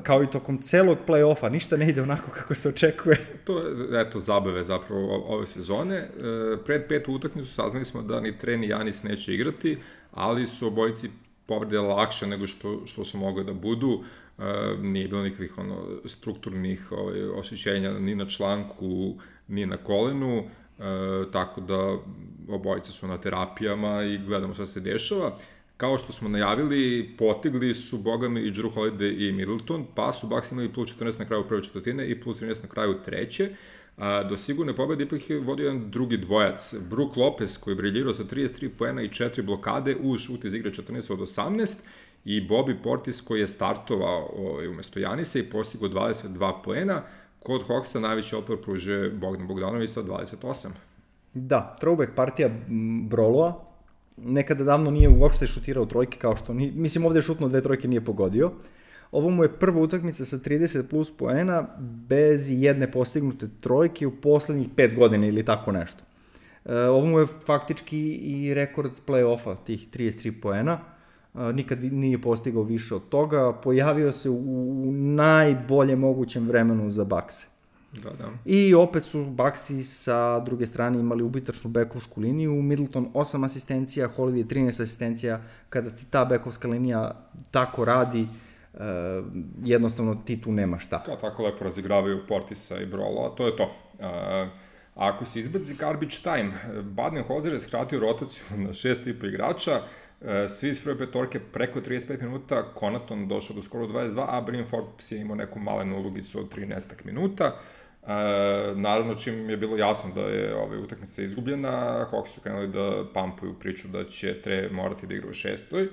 Kao i tokom celog play-offa, ništa ne ide onako kako se očekuje. To je, zabave zapravo ove sezone. Pred petu utakmicu saznali smo da ni Trae ni Janis neće igrati, ali su obojici povrede lakše nego što su mogli da budu. Nije bilo nikakvih strukturnih oštećenja ni na članku, ni na kolenu, tako da obojice su na terapijama i gledamo šta se dešava. Kao što smo najavili, potegli su bogami i Jrue Holiday i Middleton, pa su Bucks imali plus 14 na kraju prve četvrtine i plus 13 na kraju treće. Do sigurne pobede ipak je vodio jedan drugi dvojac, Brook Lopez, koji je briljirao sa 33 poena i 4 blokade uz šut iz igre 14 od 18, i Bobby Portis, koji je startovao umesto Janisa i postigao 22 poena. Kod Hawksa najveći otpor pružuje Bogdan Bogdanović sa 28. Da, throwback partija Broloa, nekada davno nije uopšte šutirao trojke, kao što mislim ovde je šutno 2 trojke, nije pogodio. Ovo mu je prva utakmica sa 30 plus poena bez jedne postignute trojke u poslednjih 5 godina ili tako nešto. Ovo mu je faktički i rekord play-offa, tih 33 poena. Nikad nije postigao više od toga. Pojavio se u najbolje mogućem vremenu za Buckse. Da. I opet su Bucksi sa druge strane imali ubitačnu bekovsku liniju, Middleton 8 asistencija, Holiday 13 asistencija. Kada ti ta bekovska linija tako radi, jednostavno ti tu nema šta. Tako lepo razigravaju Portisa i Brolo, a to je to. Ako se izbaci garbage time, Baden-Holzer je skratio rotaciju na 6,5 igrača, svi iz prve petorke preko 35 minuta, Connaughton došao do skoro 22, a Bryn Forbes je imao neku malenu ulogicu od 13 minuta. Naravno, čim je bilo jasno da je utakmica izgubljena, Hawks su krenuli da pampuju priču da će Trae morati da igra u 6.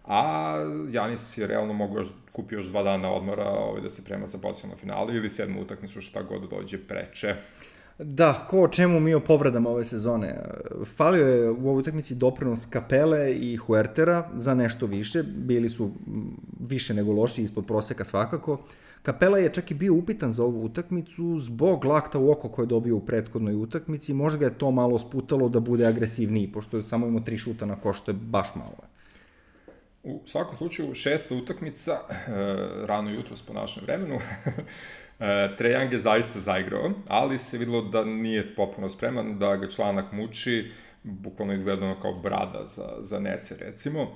A Janis je realno mogao kupiti još 2 dana odmora da se prema za potencijalno finale ili 7. utakmicu, šta god dođe preče. Da, ko o čemu mi o povredama ove sezone. Falio je u ovoj utakmici doprinos Capele i Huertera za nešto više, bili su više nego loši, ispod proseka svakako. Capela je čak i bio upitan za ovu utakmicu zbog lakta u oko koje je dobio u prethodnoj utakmici, možda ga je to malo sputalo da bude agresivniji, pošto je samo imao 3 šuta na koš, što je baš malo. U svakom slučaju, 6. utakmica, rano jutros po našem vremenu, Trae Young je zaista zaigrao, ali se videlo da nije potpuno spreman, da ga članak muči, bukvalno izgledano kao brada za nece, recimo.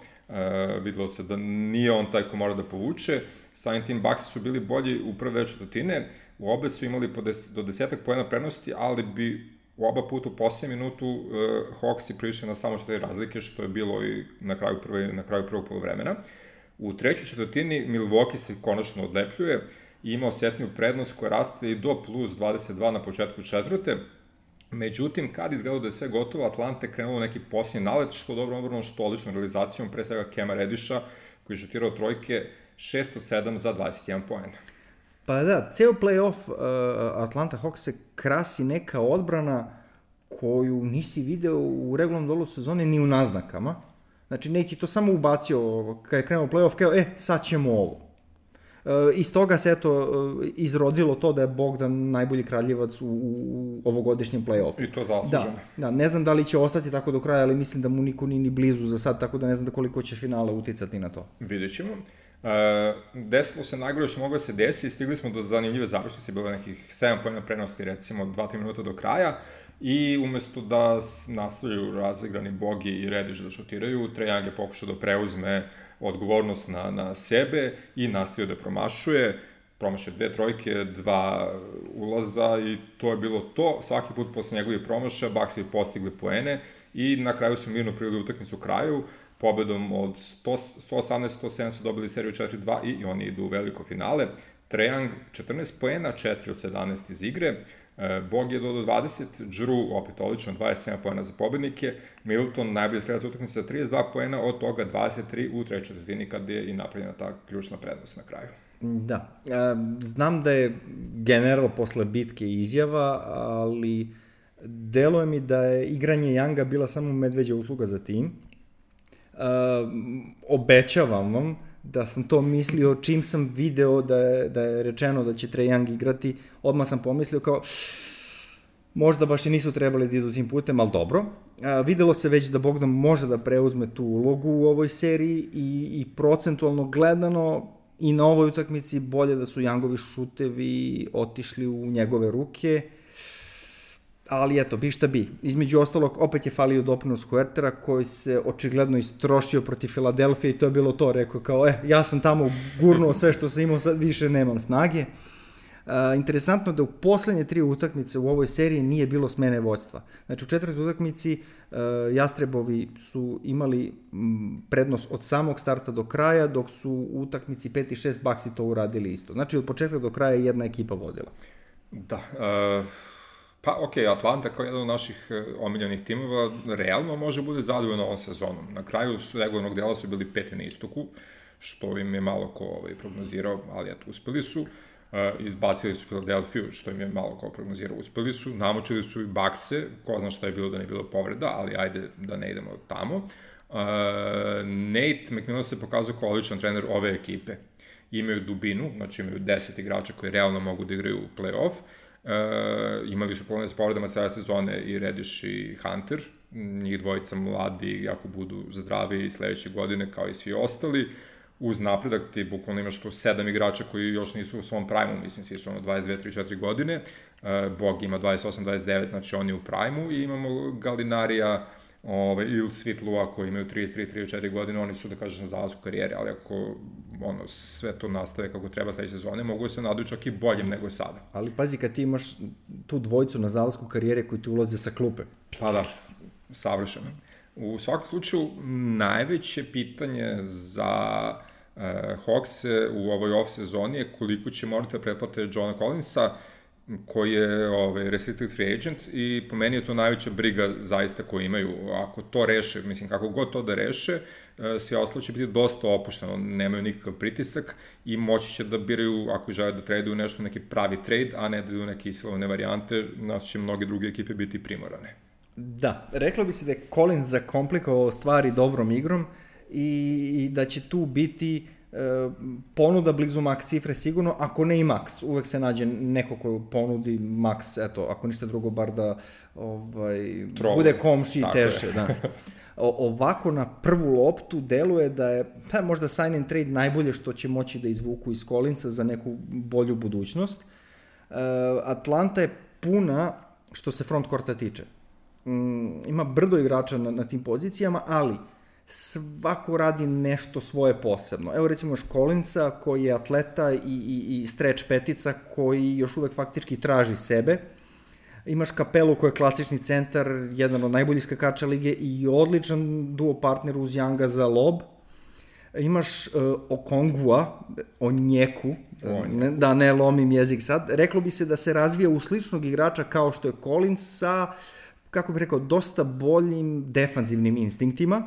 Videlo se da nije on taj ko mora da povuče. Samim tim Bucks su bili bolji u prve 2 četvrtine, u obe su imali do 10 poena prednosti, ali bi u oba puta u posljednjem minutu Hawks je prišli na samo 4 razlike, što je bilo i na kraju prvog polovremena. U trećoj četvrtini Milwaukee se konačno odlepljuje i ima osetniju prednost koja raste i do plus 22 na početku četvrte. Međutim, kad izgledalo da je sve gotovo, Atlanta je krenulo neki posljednji nalet, što dobro obrano, što odličnom realizacijom, pre svega Kema Redisha, koji je šutirao trojke 6 od 7 za 21 poen. Pa da, ceo play-off Atlanta Hawks se krasi neka odbrana koju nisi video u regularnom delu sezone ni u naznakama. Znači, Nate je to samo ubacio kada je krenuo play-off, kao, sad ćemo ovo. Iz toga se izrodilo to da je Bogdan najbolji kraljevac u ovogodišnjem play-offu. I to zasluženo. Da, ne znam da li će ostati tako do kraja, ali mislim da mu niko ni blizu za sad, tako da ne znam koliko će finale uticati na to. Vidjet ćemo. Desilo se najgore što moglo se desi, stigli smo do zanimljive završnice, bilo nekih 7 pojena prenosti, recimo 2-3 minuta do kraja, i umesto da nastavljaju razigrani Bogi i Rediš da šutiraju, Trae Young je pokušao da preuzme odgovornost na sebe i nastavio da promašuje 2 trojke, 2 ulaza i to je bilo to. Svaki put posle njegovih promašaja Bucks je postigli poene i na kraju su mirno priveli utakmicu u kraju. Pobedom od 118-107 su dobili seriju 4-2 i oni idu u veliko finale. Trae Young 14 poena, 4 od 17 iz igre. Bog je dodao 20, Drew opet odlično, 27 poena za pobednike, Middleton najbolji strelac utakmice sa 32 poena, od toga 23 u trećoj četvrtini kad je i napravljena ta ključna prednost na kraju. Da, znam da je general posle bitke izjava, ali deluje mi da je igranje Younga bila samo medveđa usluga za tim. Obećavam vam da sam to mislio čim sam video da je rečeno da će Trae Young igrati, odmah sam pomislio kao možda baš i nisu trebali da idu tim putem, ali dobro. Videlo se već da Bogdan može da preuzme tu ulogu u ovoj seriji i procentualno gledano i na ovoj utakmici bolje da su Youngovi šutevi otišli u njegove ruke, ali eto, bi šta bi. Između ostalog, opet je falio doprinos Huertera koji se očigledno istrošio protiv Filadelfije i to je bilo to, rekao kao, ja sam tamo gurnuo sve što sam imao, sad više nemam snage. Interesantno da u poslednje 3 utakmice u ovoj seriji nije bilo smene vođstva. Znači u 4. utakmici Jastrebovi su imali prednost od samog starta do kraja, dok su u utakmici 5 i 6 Bucksi to uradili isto. Znači od početka do kraja jedna ekipa vodila. Da, pa okej, Atlanta kao jedan od naših omiljenih timova realno može bude zadovoljno ovom sezonom. Na kraju regularnog dela su bili 5. na istoku, što im je malo ko prognozirao, ali eto, uspeli su. Izbacili su Filadelfiju, što im je malo ko prognozirao, uspeli su. Namučili su i Buckse, ko zna šta je bilo da ne bilo povreda, ali ajde da ne idemo tamo. Nate McMillan se pokazao kao odličan trener ove ekipe. Imaju dubinu, znači imaju 10 igrača koji realno mogu da igraju u play-off. Imali su probleme s povredama cele sezone i Rediš i Hunter, njih dvojica mladi, ako budu zdravi i sledeće godine kao i svi ostali, uz napredak ti bukvalno imaš tu 7 igrača koji još nisu u svom prime-u, mislim svi su 22, 3, 4 godine, Bog ima 28, 29, znači oni u prime-u i imamo Gallinarija ili Svitlua koji imaju 33, 34 godine, oni su da kažeš na zalasku karijere, ali ako sve to nastave kako treba sledeće sezone, mogu se naduju čak i boljim nego sada. Ali pazi, kad ti imaš tu dvojicu na zalasku karijere koji ti ulaze sa klupe. Pa da, savršeno. U svakom slučaju, najveće pitanje za Hawks u ovoj off sezoni je koliko će morati da pretplate Johna Collinsa, koji je restricted free agent i po meni je to najveća briga zaista koju imaju. Ako to reše, mislim kako god to da reše, sve ostalo će biti dosta opušteno, nemaju nikakav pritisak i moći će da biraju, ako žele da traduju nešto, neki pravi trade, a ne da idu neke isilovane varijante, znači će mnoge druge ekipe biti primorane. Da, reklo bi se da je Collins zakomplikovao stvari dobrom igrom i da će tu biti ponuda blizu max cifre sigurno, ako ne i max, uvek se nađe neko ko ponudi max, eto, ako ništa drugo, bar da bude komši i teše. Da. Ovako na prvu loptu deluje da je možda sign and trade najbolje što će moći da izvuku iz Collinsa za neku bolju budućnost. Atlanta je puna što se front courta tiče. Ima brdo igrača na tim pozicijama, ali svako radi nešto svoje posebno. Evo recimo još Collinsa koji je atleta i stretch petica koji još uvek faktički traži sebe. Imaš Capelu koji je klasični centar, jedan od najboljih skakača lige i odličan duo partner uz Younga za lob. Imaš Okongua, Onjeku, da ne lomim jezik sad. Reklo bi se da se razvija u sličnog igrača kao što je Collins sa, kako bih rekao, dosta boljim defanzivnim instinktima.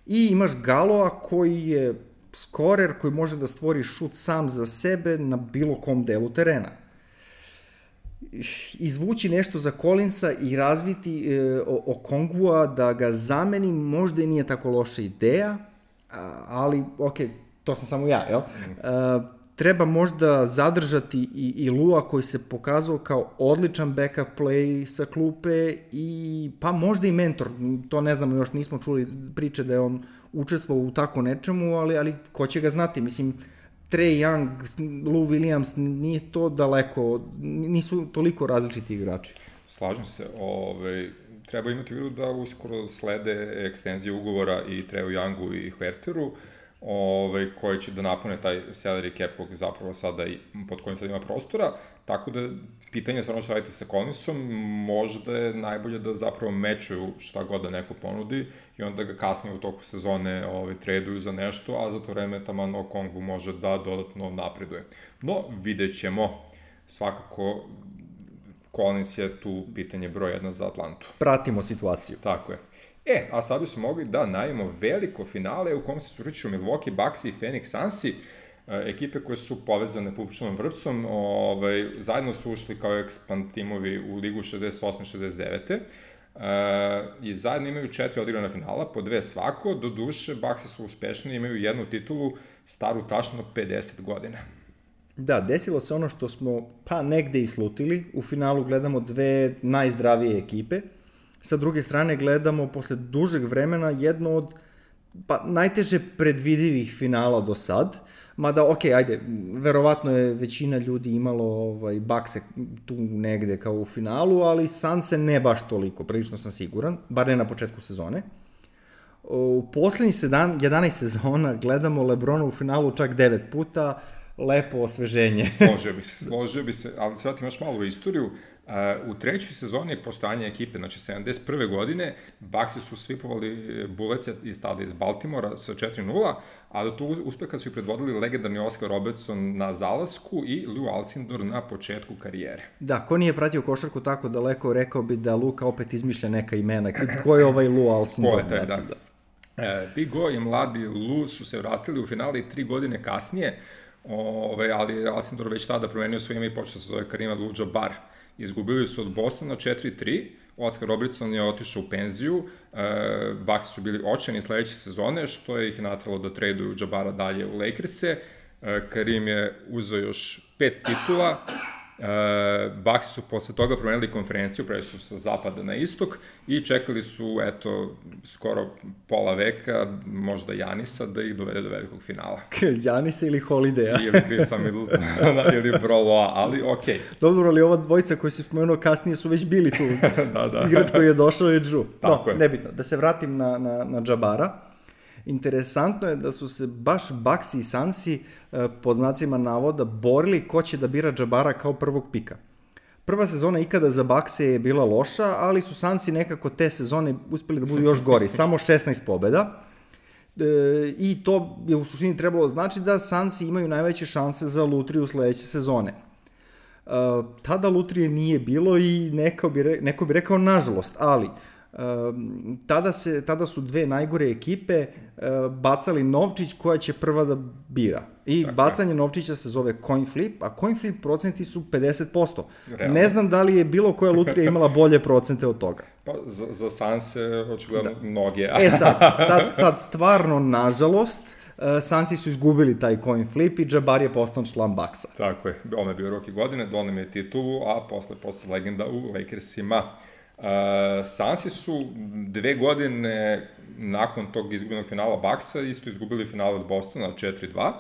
I imaš Galoa koji je skorer koji može da stvori šut sam za sebe na bilo kom delu terena. Izvući nešto za Collinsa i razviti Okongwua da ga zameni možda i nije tako loša ideja, ali to sam samo ja, jel? Treba možda zadržati i Lua koji se pokazao kao odličan backup play sa klupe i pa možda i mentor, to ne znamo, još nismo čuli priče da je on učestvovao u tako nečemu, ali ko će ga znati, mislim, Trae Young, Lou Williams, nije to daleko, nisu toliko različiti igrači. Slažem se, treba imati u vidu da uskoro slede ekstenzije ugovora i Traeu Youngu i Huerteru, koji će da napune taj salary cap kog zapravo sada i pod kojim sad ima prostora, tako da pitanje je stvarno šta raditi sa Collinsom, možda je najbolje da zapravo mečuju šta god da neko ponudi i onda ga kasnije u toku sezone traduju za nešto, a za to vreme taman Okongwu može da dodatno napreduje. No, vidjet ćemo, svakako Collins je tu pitanje broj 1 za Atlantu. Pratimo situaciju. Tako je. A sad bismo mogli da najavimo veliko finale u kom se susreću Milwaukee Bucks i Phoenix Sunsi, ekipe koje su povezane pupčanom vrpcom, zajedno su ušli kao expand timovi u ligu 68-69. I zajedno imaju 4 odigrana finala, po 2 svako, do duše Bucksi su uspešni, imaju jednu titulu staru tačno 50 godina. Da, desilo se ono što smo negde i slutili, u finalu gledamo dve najzdravije ekipe, sa druge strane gledamo posle dužeg vremena jedno od najteže predvidivih finala do sad, mada verovatno je većina ljudi imalo Buckse tu negde kao u finalu, ali Sunse ne baš toliko, prilično sam siguran, bar ne na početku sezone. U poslednjih 11 sezona gledamo LeBrona u finalu čak 9 puta, lepo osveženje. Složio bi se, ali sad imaš malo u istoriju. U trećoj sezoni postojanja ekipe, znači 71. godine, Bucksi su svipovali Bullets iz Baltimora sa 4-0, a do tog uspeha su i predvodili legendarni Oscar Robertson na zalasku i Lou Alcindor na početku karijere. Da, ko nije pratio košarku tako daleko, rekao bi da Luka opet izmišlja neka imena. Ko je ovaj Lou Alcindor? Ko je taj, da. Big O i mladi Lou su se vratili u finale 3 godine kasnije, ali Alcindor već tada promenio svoje ime i počeo se zove Kareem Abdul-Jabbar. Izgubili su od Bostona 4-3, Oscar Robertson je otišao u penziju, Bucksi su bili očajni sledeće sezone, što je ih natralo da traduju Jabara dalje u Lakers-e. Kareem je uzeo još 5 titula, Bucksi su posle toga promenili konferenciju, prešli su sa zapada na istok i čekali su, skoro pola veka, možda Janisa, da ih dovede do velikog finala. Janisa ili Holidaya. Ili Chrisa Middletona, ili Broloa, ali okej. Dobro, ali ova dvojica koji si spomenuo kasnije su već bili tu. Da. Igrač koji je došao je Drew. Tako je. Nebitno. Da se vratim na Jabara. Interesantno je da su se baš Bucksi i Sunsi pod znacima navoda borili ko će da bira Jabara kao prvog pika. Prva sezona ikada za Buckse je bila loša, ali su Sunsi nekako te sezone uspeli da budu još gori, samo 16 pobjeda. I to je u suštini trebalo znači da Sunsi imaju najveće šanse za lutriju sledeće sezone. Tada lutrije nije bilo i neko bi rekao nažalost, ali tada su dve najgore ekipe bacali novčić koja će prva da bira. I bacanje novčića se zove coin flip, a coin flip procenti su 50%. Realno. Ne znam da li je bilo koja lutrija imala bolje procente od toga. Pa za Sunse očigledno mnoge. Sad stvarno, nažalost, Sunsi su izgubili taj coin flip i Jabbar je postao član Bucksa. Tako je, on je bio rookie godine, donio je titulu, a posle postao legenda u Lakersima. Sunsi su 2 godine nakon tog izgubljenog finala Bucksa isto izgubili finale od Bostona 4-2,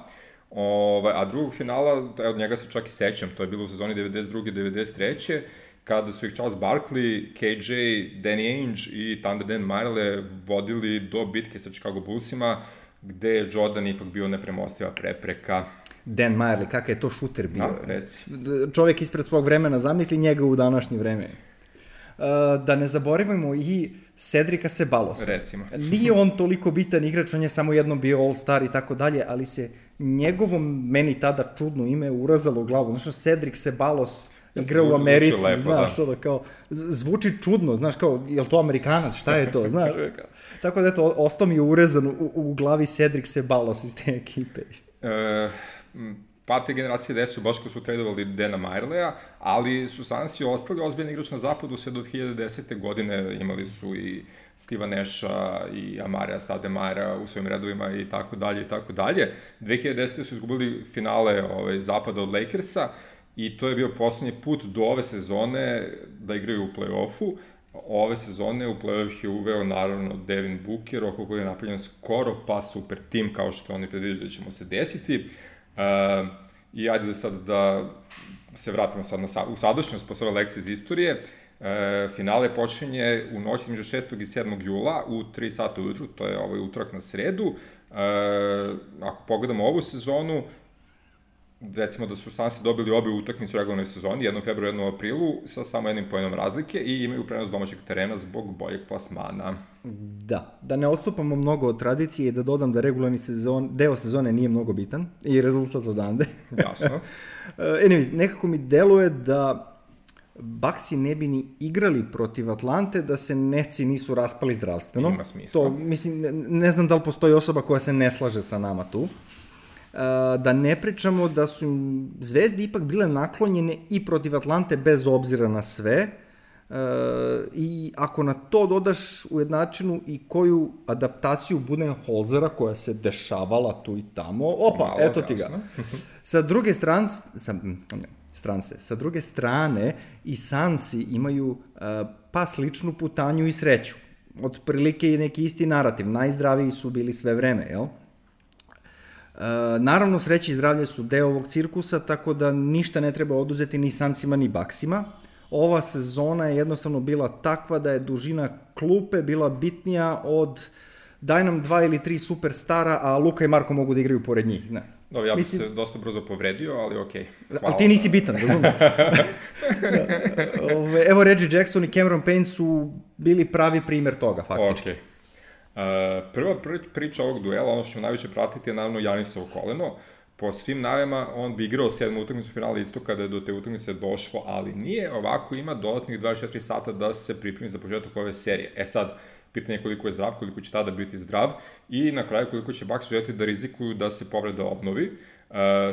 a drugog finala, od njega se čak i sećam, to je bilo u sezoni 92-93, kada su ih Charles Barkley, KJ, Danny Ainge i Thunder Dan Majerle vodili do bitke sa Chicago Bullsima, gde je Jordan ipak bio nepremostiva prepreka. Dan Majerle, kakav je to šuter bio? Da, reci. Čovjek ispred svog vremena, zamisli njega u današnje vreme. Da ne zaboravimo i Cedrika Sebalosa. Recimo. Nije on toliko bitan igrač, on je samo jednom bio all-star i tako dalje, ali se njegovom, meni tada čudno ime, urazalo u glavu. Znači, Cedric Sebalos, igra u Americi, znaš, ono kao, zvuči čudno, znaš, kao, je li to Amerikanac, šta je to, znaš? Tako da, eto, ostao mi je urezan u glavi Cedric Ceballos iz te ekipe. Pa te generacije gde su baš ko su tradovali Dana Majerleja, ali su Sansi ostali ozbiljni igrač na zapadu sve do 2010. godine, imali su i Steva Nasha i Amarija Stademajera u svojim redovima i tako dalje i tako dalje. 2010. su izgubili finale zapada od Lakersa i to je bio poslednji put do ove sezone da igraju u play-offu. Ove sezone u play-off je uveo naravno Devin Booker, oko koji je napravljen skoro pa super tim kao što oni predviđaju da ćemo se desiti. I ajde da sad da se vratimo sad u sadašnjost po svoje lekcije iz istorije. Finale počinje u noći između 6. i 7. jula u 3 sata ujutru, to je utorak na sredu. Ako pogledamo ovu sezonu, recimo da su Sansi dobili obe utakmice u regularnoj sezoni, jednu u februaru, jednu u aprilu, sa samo jednim pojenom razlike i imaju prenos domaćeg terena zbog boljeg plasmana. Da ne odstupamo mnogo od tradicije i da dodam da regularni deo sezone nije mnogo bitan i rezultat odande. Jasno. Anyways, nekako mi deluje da Bucksi ne bi ni igrali protiv Atlante da se Netsi nisu raspali zdravstveno. Ima smisla. To, mislim, ne znam da li postoji osoba koja se ne slaže sa nama tu. Da ne pričamo da su im Zvezde ipak bile naklonjene i protiv Atlante bez obzira na sve i ako na to dodaš ujednačenu i koju adaptaciju Budenholzera koja se dešavala tu i tamo, eto ti ga. Sa druge strane i Sansi imaju pa sličnu putanju i sreću. Otprilike je neki isti narativ, najzdraviji su bili sve vreme, jel? Naravno, sreće i zdravlje su deo ovog cirkusa, tako da ništa ne treba oduzeti ni Sansima ni Bucksima. Ova sezona je jednostavno bila takva da je dužina klupe bila bitnija od daj nam 2 ili 3 superstara, a Luka i Marko mogu da igraju pored njih. Ne. Dobro, ja bih se dosta brzo povredio, ali okej. Hvala. Ali ti nisi bitan, razumiješ? Evo, Reggie Jackson i Cameron Payne su bili pravi primer toga, faktički. Okej. Prva priča ovog duela, ono što ćemo najviše pratiti je naravno Janisovo koleno. Po svim najavama on bi igrao 7. utakmicu finala isto kada je do te utakmice došlo, ali nije, ovako ima dodatnih 24 sata da se pripremi za početak ove serije. Sad, pitanje je koliko je zdrav, koliko će tada biti zdrav i na kraju koliko će Bucks želiti da rizikuju da se povreda obnovi.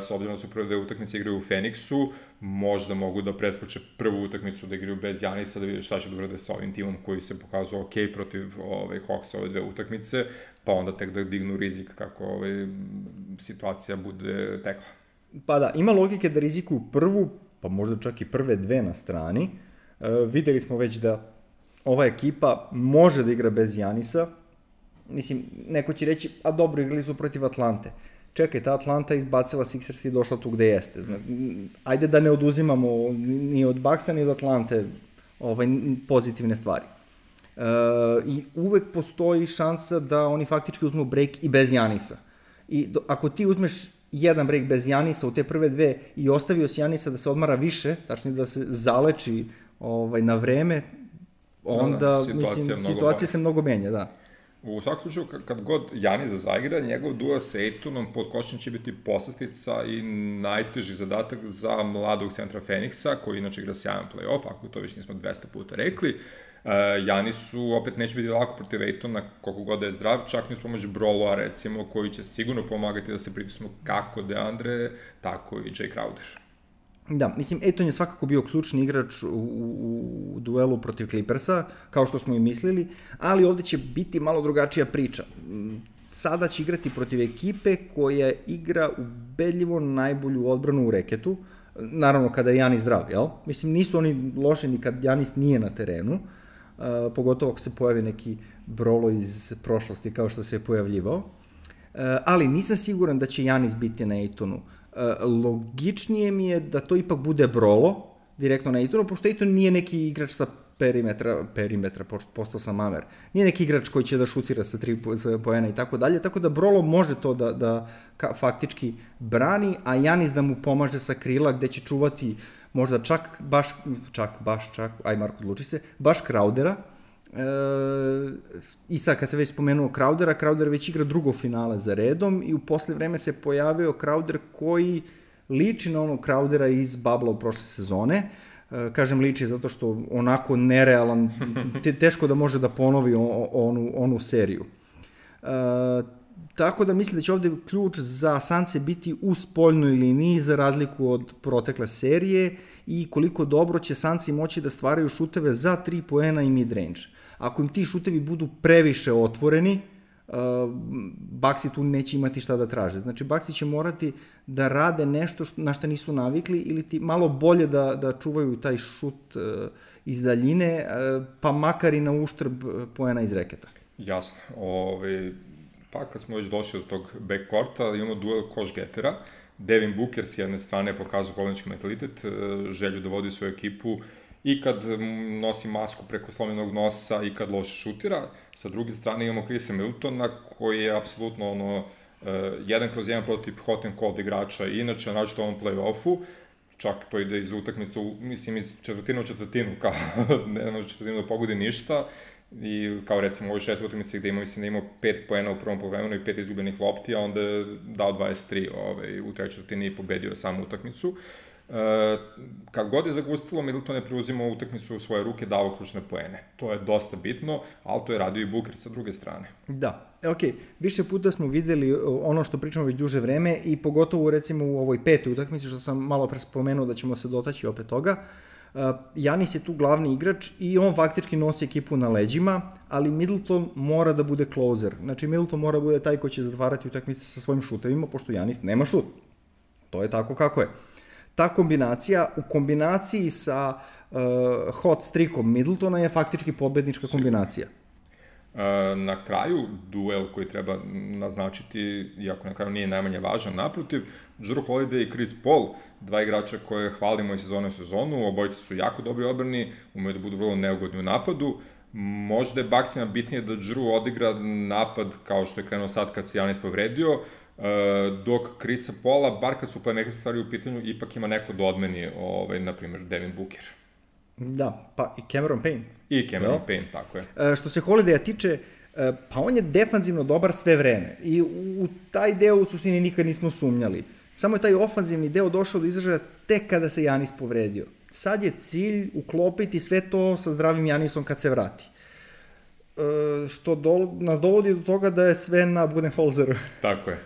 S obzirom da su prve 2 utakmice igraju u Phoenixu, možda mogu da preskoče prvu utakmicu da igraju bez Janisa, da vide šta će da urade sa ovim timom koji se pokazao ok protiv Hawksa ove 2 utakmice, pa onda tek da dignu rizik kako situacija bude tekla. Pa da, ima logike da rizikuju prvu, pa možda čak i prve 2 na strani. Videli smo već da ova ekipa može da igra bez Janisa. Mislim, neko će reći, a dobro, igrali su protiv Atlante. Čekaj, ta Atlanta izbacila Sixers i došla tu gde jeste. Ajde da ne oduzimamo ni od Bucksa ni od Atlante pozitivne stvari. I uvek postoji šansa da oni faktički uzmu break i bez Janisa. I ako ti uzmeš jedan break bez Janisa u te prve 2 i ostavio si Janisa da se odmara više, tačnije da se zaleči na vreme, onda situacija se mnogo menja, da. U svakom slučaju, kad god Janis zaigra, njegov duel sa Aytonom pod košem će biti poslastica i najteži zadatak za mladog centra Phoenixa, koji inače igra sjajan play-off, ako to već nismo 200 puta rekli. Janisu opet neće biti lako protiv Aytona, koliko god da je zdrav, čak ni uz pomoć Broloa, recimo, koji će sigurno pomagati da se pritisnu kako DeAndre, tako i Jay Crowder. Da, mislim, Ayton je svakako bio ključni igrač u duelu protiv Clippersa, kao što smo i mislili, ali ovde će biti malo drugačija priča. Sada će igrati protiv ekipe koja igra ubedljivo najbolju odbranu u reketu, naravno kada je Janis zdrav, jel? Mislim, nisu oni loši ni kad Janis nije na terenu, pogotovo ako se pojavi neki Brolo iz prošlosti kao što se je pojavljivao, ali nisam siguran da će Janis biti na Aytonu. Logičnije mi je da to ipak bude Brolo direktno na Aytonu, pošto Ayton nije neki igrač sa perimetra, postao sam mamer, nije neki igrač koji će da šutira sa 3 poena i tako dalje, tako da Brolo može to da faktički brani, a Janis da mu pomaže sa krila gde će čuvati možda aj Marko odluči se, baš Crowdera. I sad kad se već spomenuo Crowder već igra drugo finale za redom i u posle vreme se pojavio Crowder koji liči na onog Crowdera iz Babla u prošle sezone. Kažem liči zato što onako nerealan, teško da može da ponovi onu seriju. Tako da mislim da će ovde ključ za Sanse biti u spoljnoj liniji za razliku od protekle serije i koliko dobro će Sansi moći da stvaraju šuteve za 3 poena i mid-range. Ako im ti šutevi budu previše otvoreni, Bucksi tu neće imati šta da traže. Znači, Bucksi će morati da rade nešto na šta nisu navikli ili ti malo bolje da čuvaju taj šut iz daljine, pa makar i na uštrb poena iz reketa. Jasno. Pa kad smo već došli do tog backcourta, imamo duel koš-getera. Devin Booker s jedne strane pokazuje kolnički mentalitet, želju da vodi svoju ekipu i kad nosi masku preko slomljenog nosa i kad loše šutira. Sa druge strane imamo Chrisa Middletona koji je apsolutno 1/1 prototip hot and cold igrača i inače naročito u ovom play-offu, čak to ide iz utakmice, mislim iz četvrtinu u četvrtinu, kao ne može četvrtinu da pogodi ništa. I kao recimo u ovoj 6 utakmice gde mislim da imao 5 poena u prvom poluvremenu i 5 izgubljenih lopti, a onda je dao 23 u trećoj četvrtini i pobedio samu utakmicu. Kad god je zagustilo, Middleton je preuzimao utakmicu u svoje ruke, dao ključne poene. To je dosta bitno, ali to je radio i Booker sa druge strane. Da, više puta smo videli ono što pričamo već duže vreme i pogotovo recimo u ovoj 5. utakmici, što sam malo pre spomenuo da ćemo se dotaći opet toga. Giannis je tu glavni igrač i on faktički nosi ekipu na leđima, ali Middleton mora da bude closer. Znači, Middleton mora da bude taj koji će zatvarati utakmice sa svojim šutevima, pošto Giannis nema šut. To je tako kako je. Ta kombinacija, u kombinaciji sa hot streakom Middletona je faktički pobednička kombinacija. Na kraju, duel koji treba naznačiti, iako na kraju nije najmanje važan, naprotiv, Jrue Holiday i Chris Paul, dva igrača koje hvalimo iz sezone u sezonu, obojica su jako dobri odbrani, umeju da budu vrlo neugodni u napadu. Možda je Bucksima bitnije da Jrue odigra napad kao što je krenuo sad kad se Giannis povredio, dok Chrisa Paula, bar kad su playmakerske stvari u pitanju, ipak ima neko da odmeni, na primjer, Devin Booker. Da, pa i Cameron Payne. I Cameron Payne, tako je. Što se Holiday-a tiče, pa on je defanzivno dobar sve vreme i u taj deo u suštini nikad nismo sumnjali. Samo je taj ofanzivni deo došao do izražaja tek kada se Giannis povredio. Sad je cilj uklopiti sve to sa zdravim Giannisom kad se vrati. Što nas dovodi do toga da je sve na Budenholzeru. Tako je.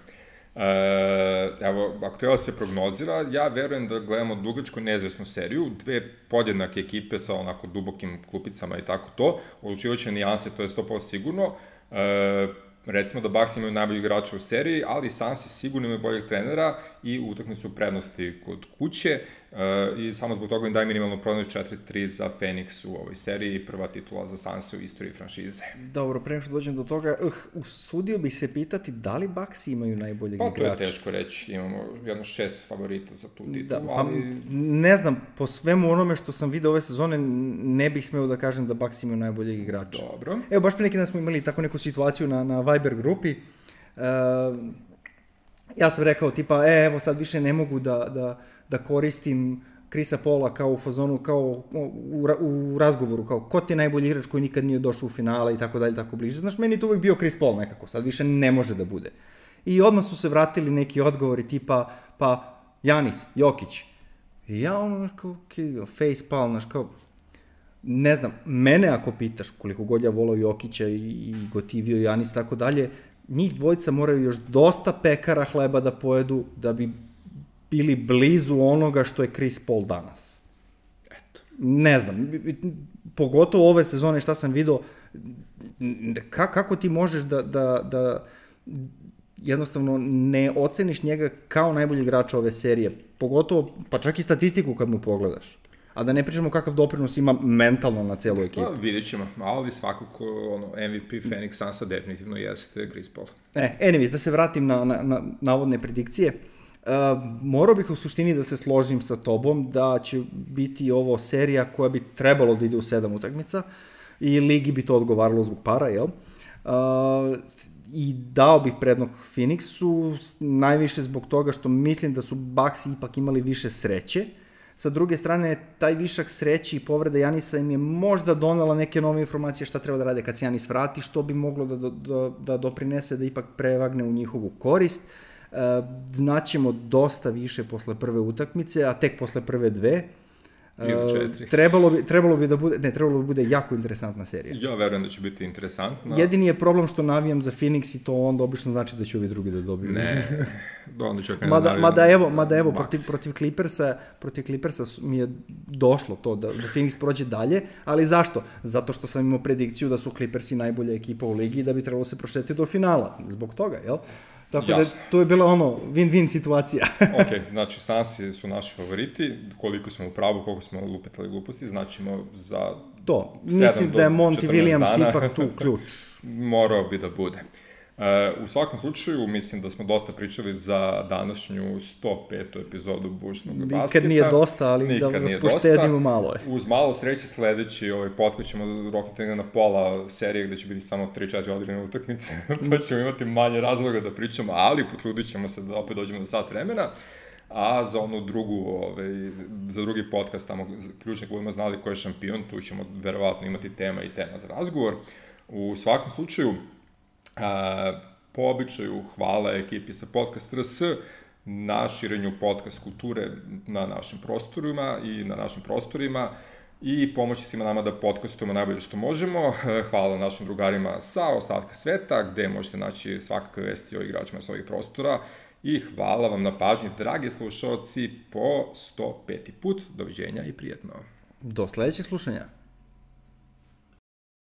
Evo, ako treba se prognozira, ja verujem da gledamo dugačko neizvesnu seriju, dve podjednake ekipe sa onako dubokim klupicama i tako to, odlučivajuće nijanse, to je 100% sigurno. Recimo da Bucks imaju najbolji igrača u seriji, ali Sansi sigurno imaju boljeg trenera i utakmicu prednosti kod kuće i samo zbog toga im daje minimalno prednost 4-3 za Phoenix u ovoj seriji i prva titula za Sansi u istoriji franšize. Dobro, pre nego što dođem do toga, usudio bih se pitati da li Bucks imaju najboljeg igrača? Pa to je teško reći, imamo jedno 6 favorita za tu titulu, ali... Ne znam, po svemu onome što sam vidio ove sezone, ne bih smeo da kažem da Bucks imaju najboljeg igrača. Dobro. Evo, baš pre neki dan smo imali tako neku situaciju na Viber grupi. Ja sam rekao tipa, evo sad više ne mogu da koristim Chrisa Paula kao u fazonu, kao u razgovoru, kao ko ti je najbolji igrač koji nikad nije došao u finale i tako dalje, tako bliže. Znaš, meni je to uvijek bio Chris Paul nekako, sad više ne može da bude. I odmah su se vratili neki odgovori tipa, pa Giannis, Jokić. I ja ono, kao, face palm, znaš, kao, ne znam, mene ako pitaš koliko god ja volao Jokića i gotivio Giannis tako dalje, njih dvojica moraju još dosta pekara hleba da pojedu da bi bili blizu onoga što je Chris Paul danas. Eto. Ne znam, pogotovo ove sezone šta sam vidio, kako ti možeš da jednostavno ne oceniš njega kao najbolji igrač ove serije, pogotovo, pa čak i statistiku kad mu pogledaš. A da ne pričamo kakav doprinos ima mentalno na celu ekipu. Pa, vidjet ćemo, ali svakako MVP Phoenix Sunsa definitivno jeste Chris Paul. Anyways, da se vratim na navodne predikcije. Morao bih u suštini da se složim sa tobom da će biti ovo serija koja bi trebalo da ide u 7 utakmica i ligi bi to odgovaralo zbog para, jel? I dao bih prednost Phoenixu, najviše zbog toga što mislim da su Bucks ipak imali više sreće. Sa druge strane, taj višak sreći i povreda Giannisa im je možda donela neke nove informacije šta treba da rade kad se Giannis vrati, što bi moglo da doprinese da ipak prevagne u njihovu korist. Znaćemo dosta više posle prve utakmice, a tek posle prve dve. Ili 4. Trebalo bi da bude jako interesantna serija. Ja verujem da će biti interesantna. Jedini je problem što navijam za Phoenix i to onda obično znači da će ovi drugi da dobiju. Ne, onda ću mada evo protiv Clippersa mi je došlo to da Phoenix prođe dalje, ali zašto? Zato što sam imao predikciju da su Clippersi najbolja ekipa u ligi i da bi trebalo se prošetiti do finala. Zbog toga, jel? Tako da to je bila win-win situacija. Ok, znači Sansi su naši favoriti, koliko smo u pravu, koliko smo lupetali gluposti, značimo za to. Mislim da je Monty Williams ipak tu ključ. Morao bi da bude. U svakom slučaju, mislim da smo dosta pričali za današnju 105. epizodu Bušnog basketa. Nikad nije dosta, ali da vas poštedimo malo. Uz malo sreće sledeći podcast ćemo roknuti na pola serije gde će biti samo 3-4 odigrane utakmice, pa ćemo imati manje razloga da pričamo, ali potrudit ćemo se da opet dođemo do sat vremena. A za onu drugu, za drugi podcast, tamo ključne budemo znali ko je šampion, tu ćemo verovatno imati tema za razgovor. U svakom slučaju, po običaju hvala ekipi sa Podcast RS na širenju podcast kulture na našim prostorima i pomoći svima nama da podcastujemo najbolje što možemo. Hvala našim drugarima sa ostatka sveta, gde možete naći svakakve vesti o igračima sa ovih prostora i hvala vam na pažnji, dragi slušalci, po 105. put. Doviđenja i prijetno. Do sledećeg slušanja.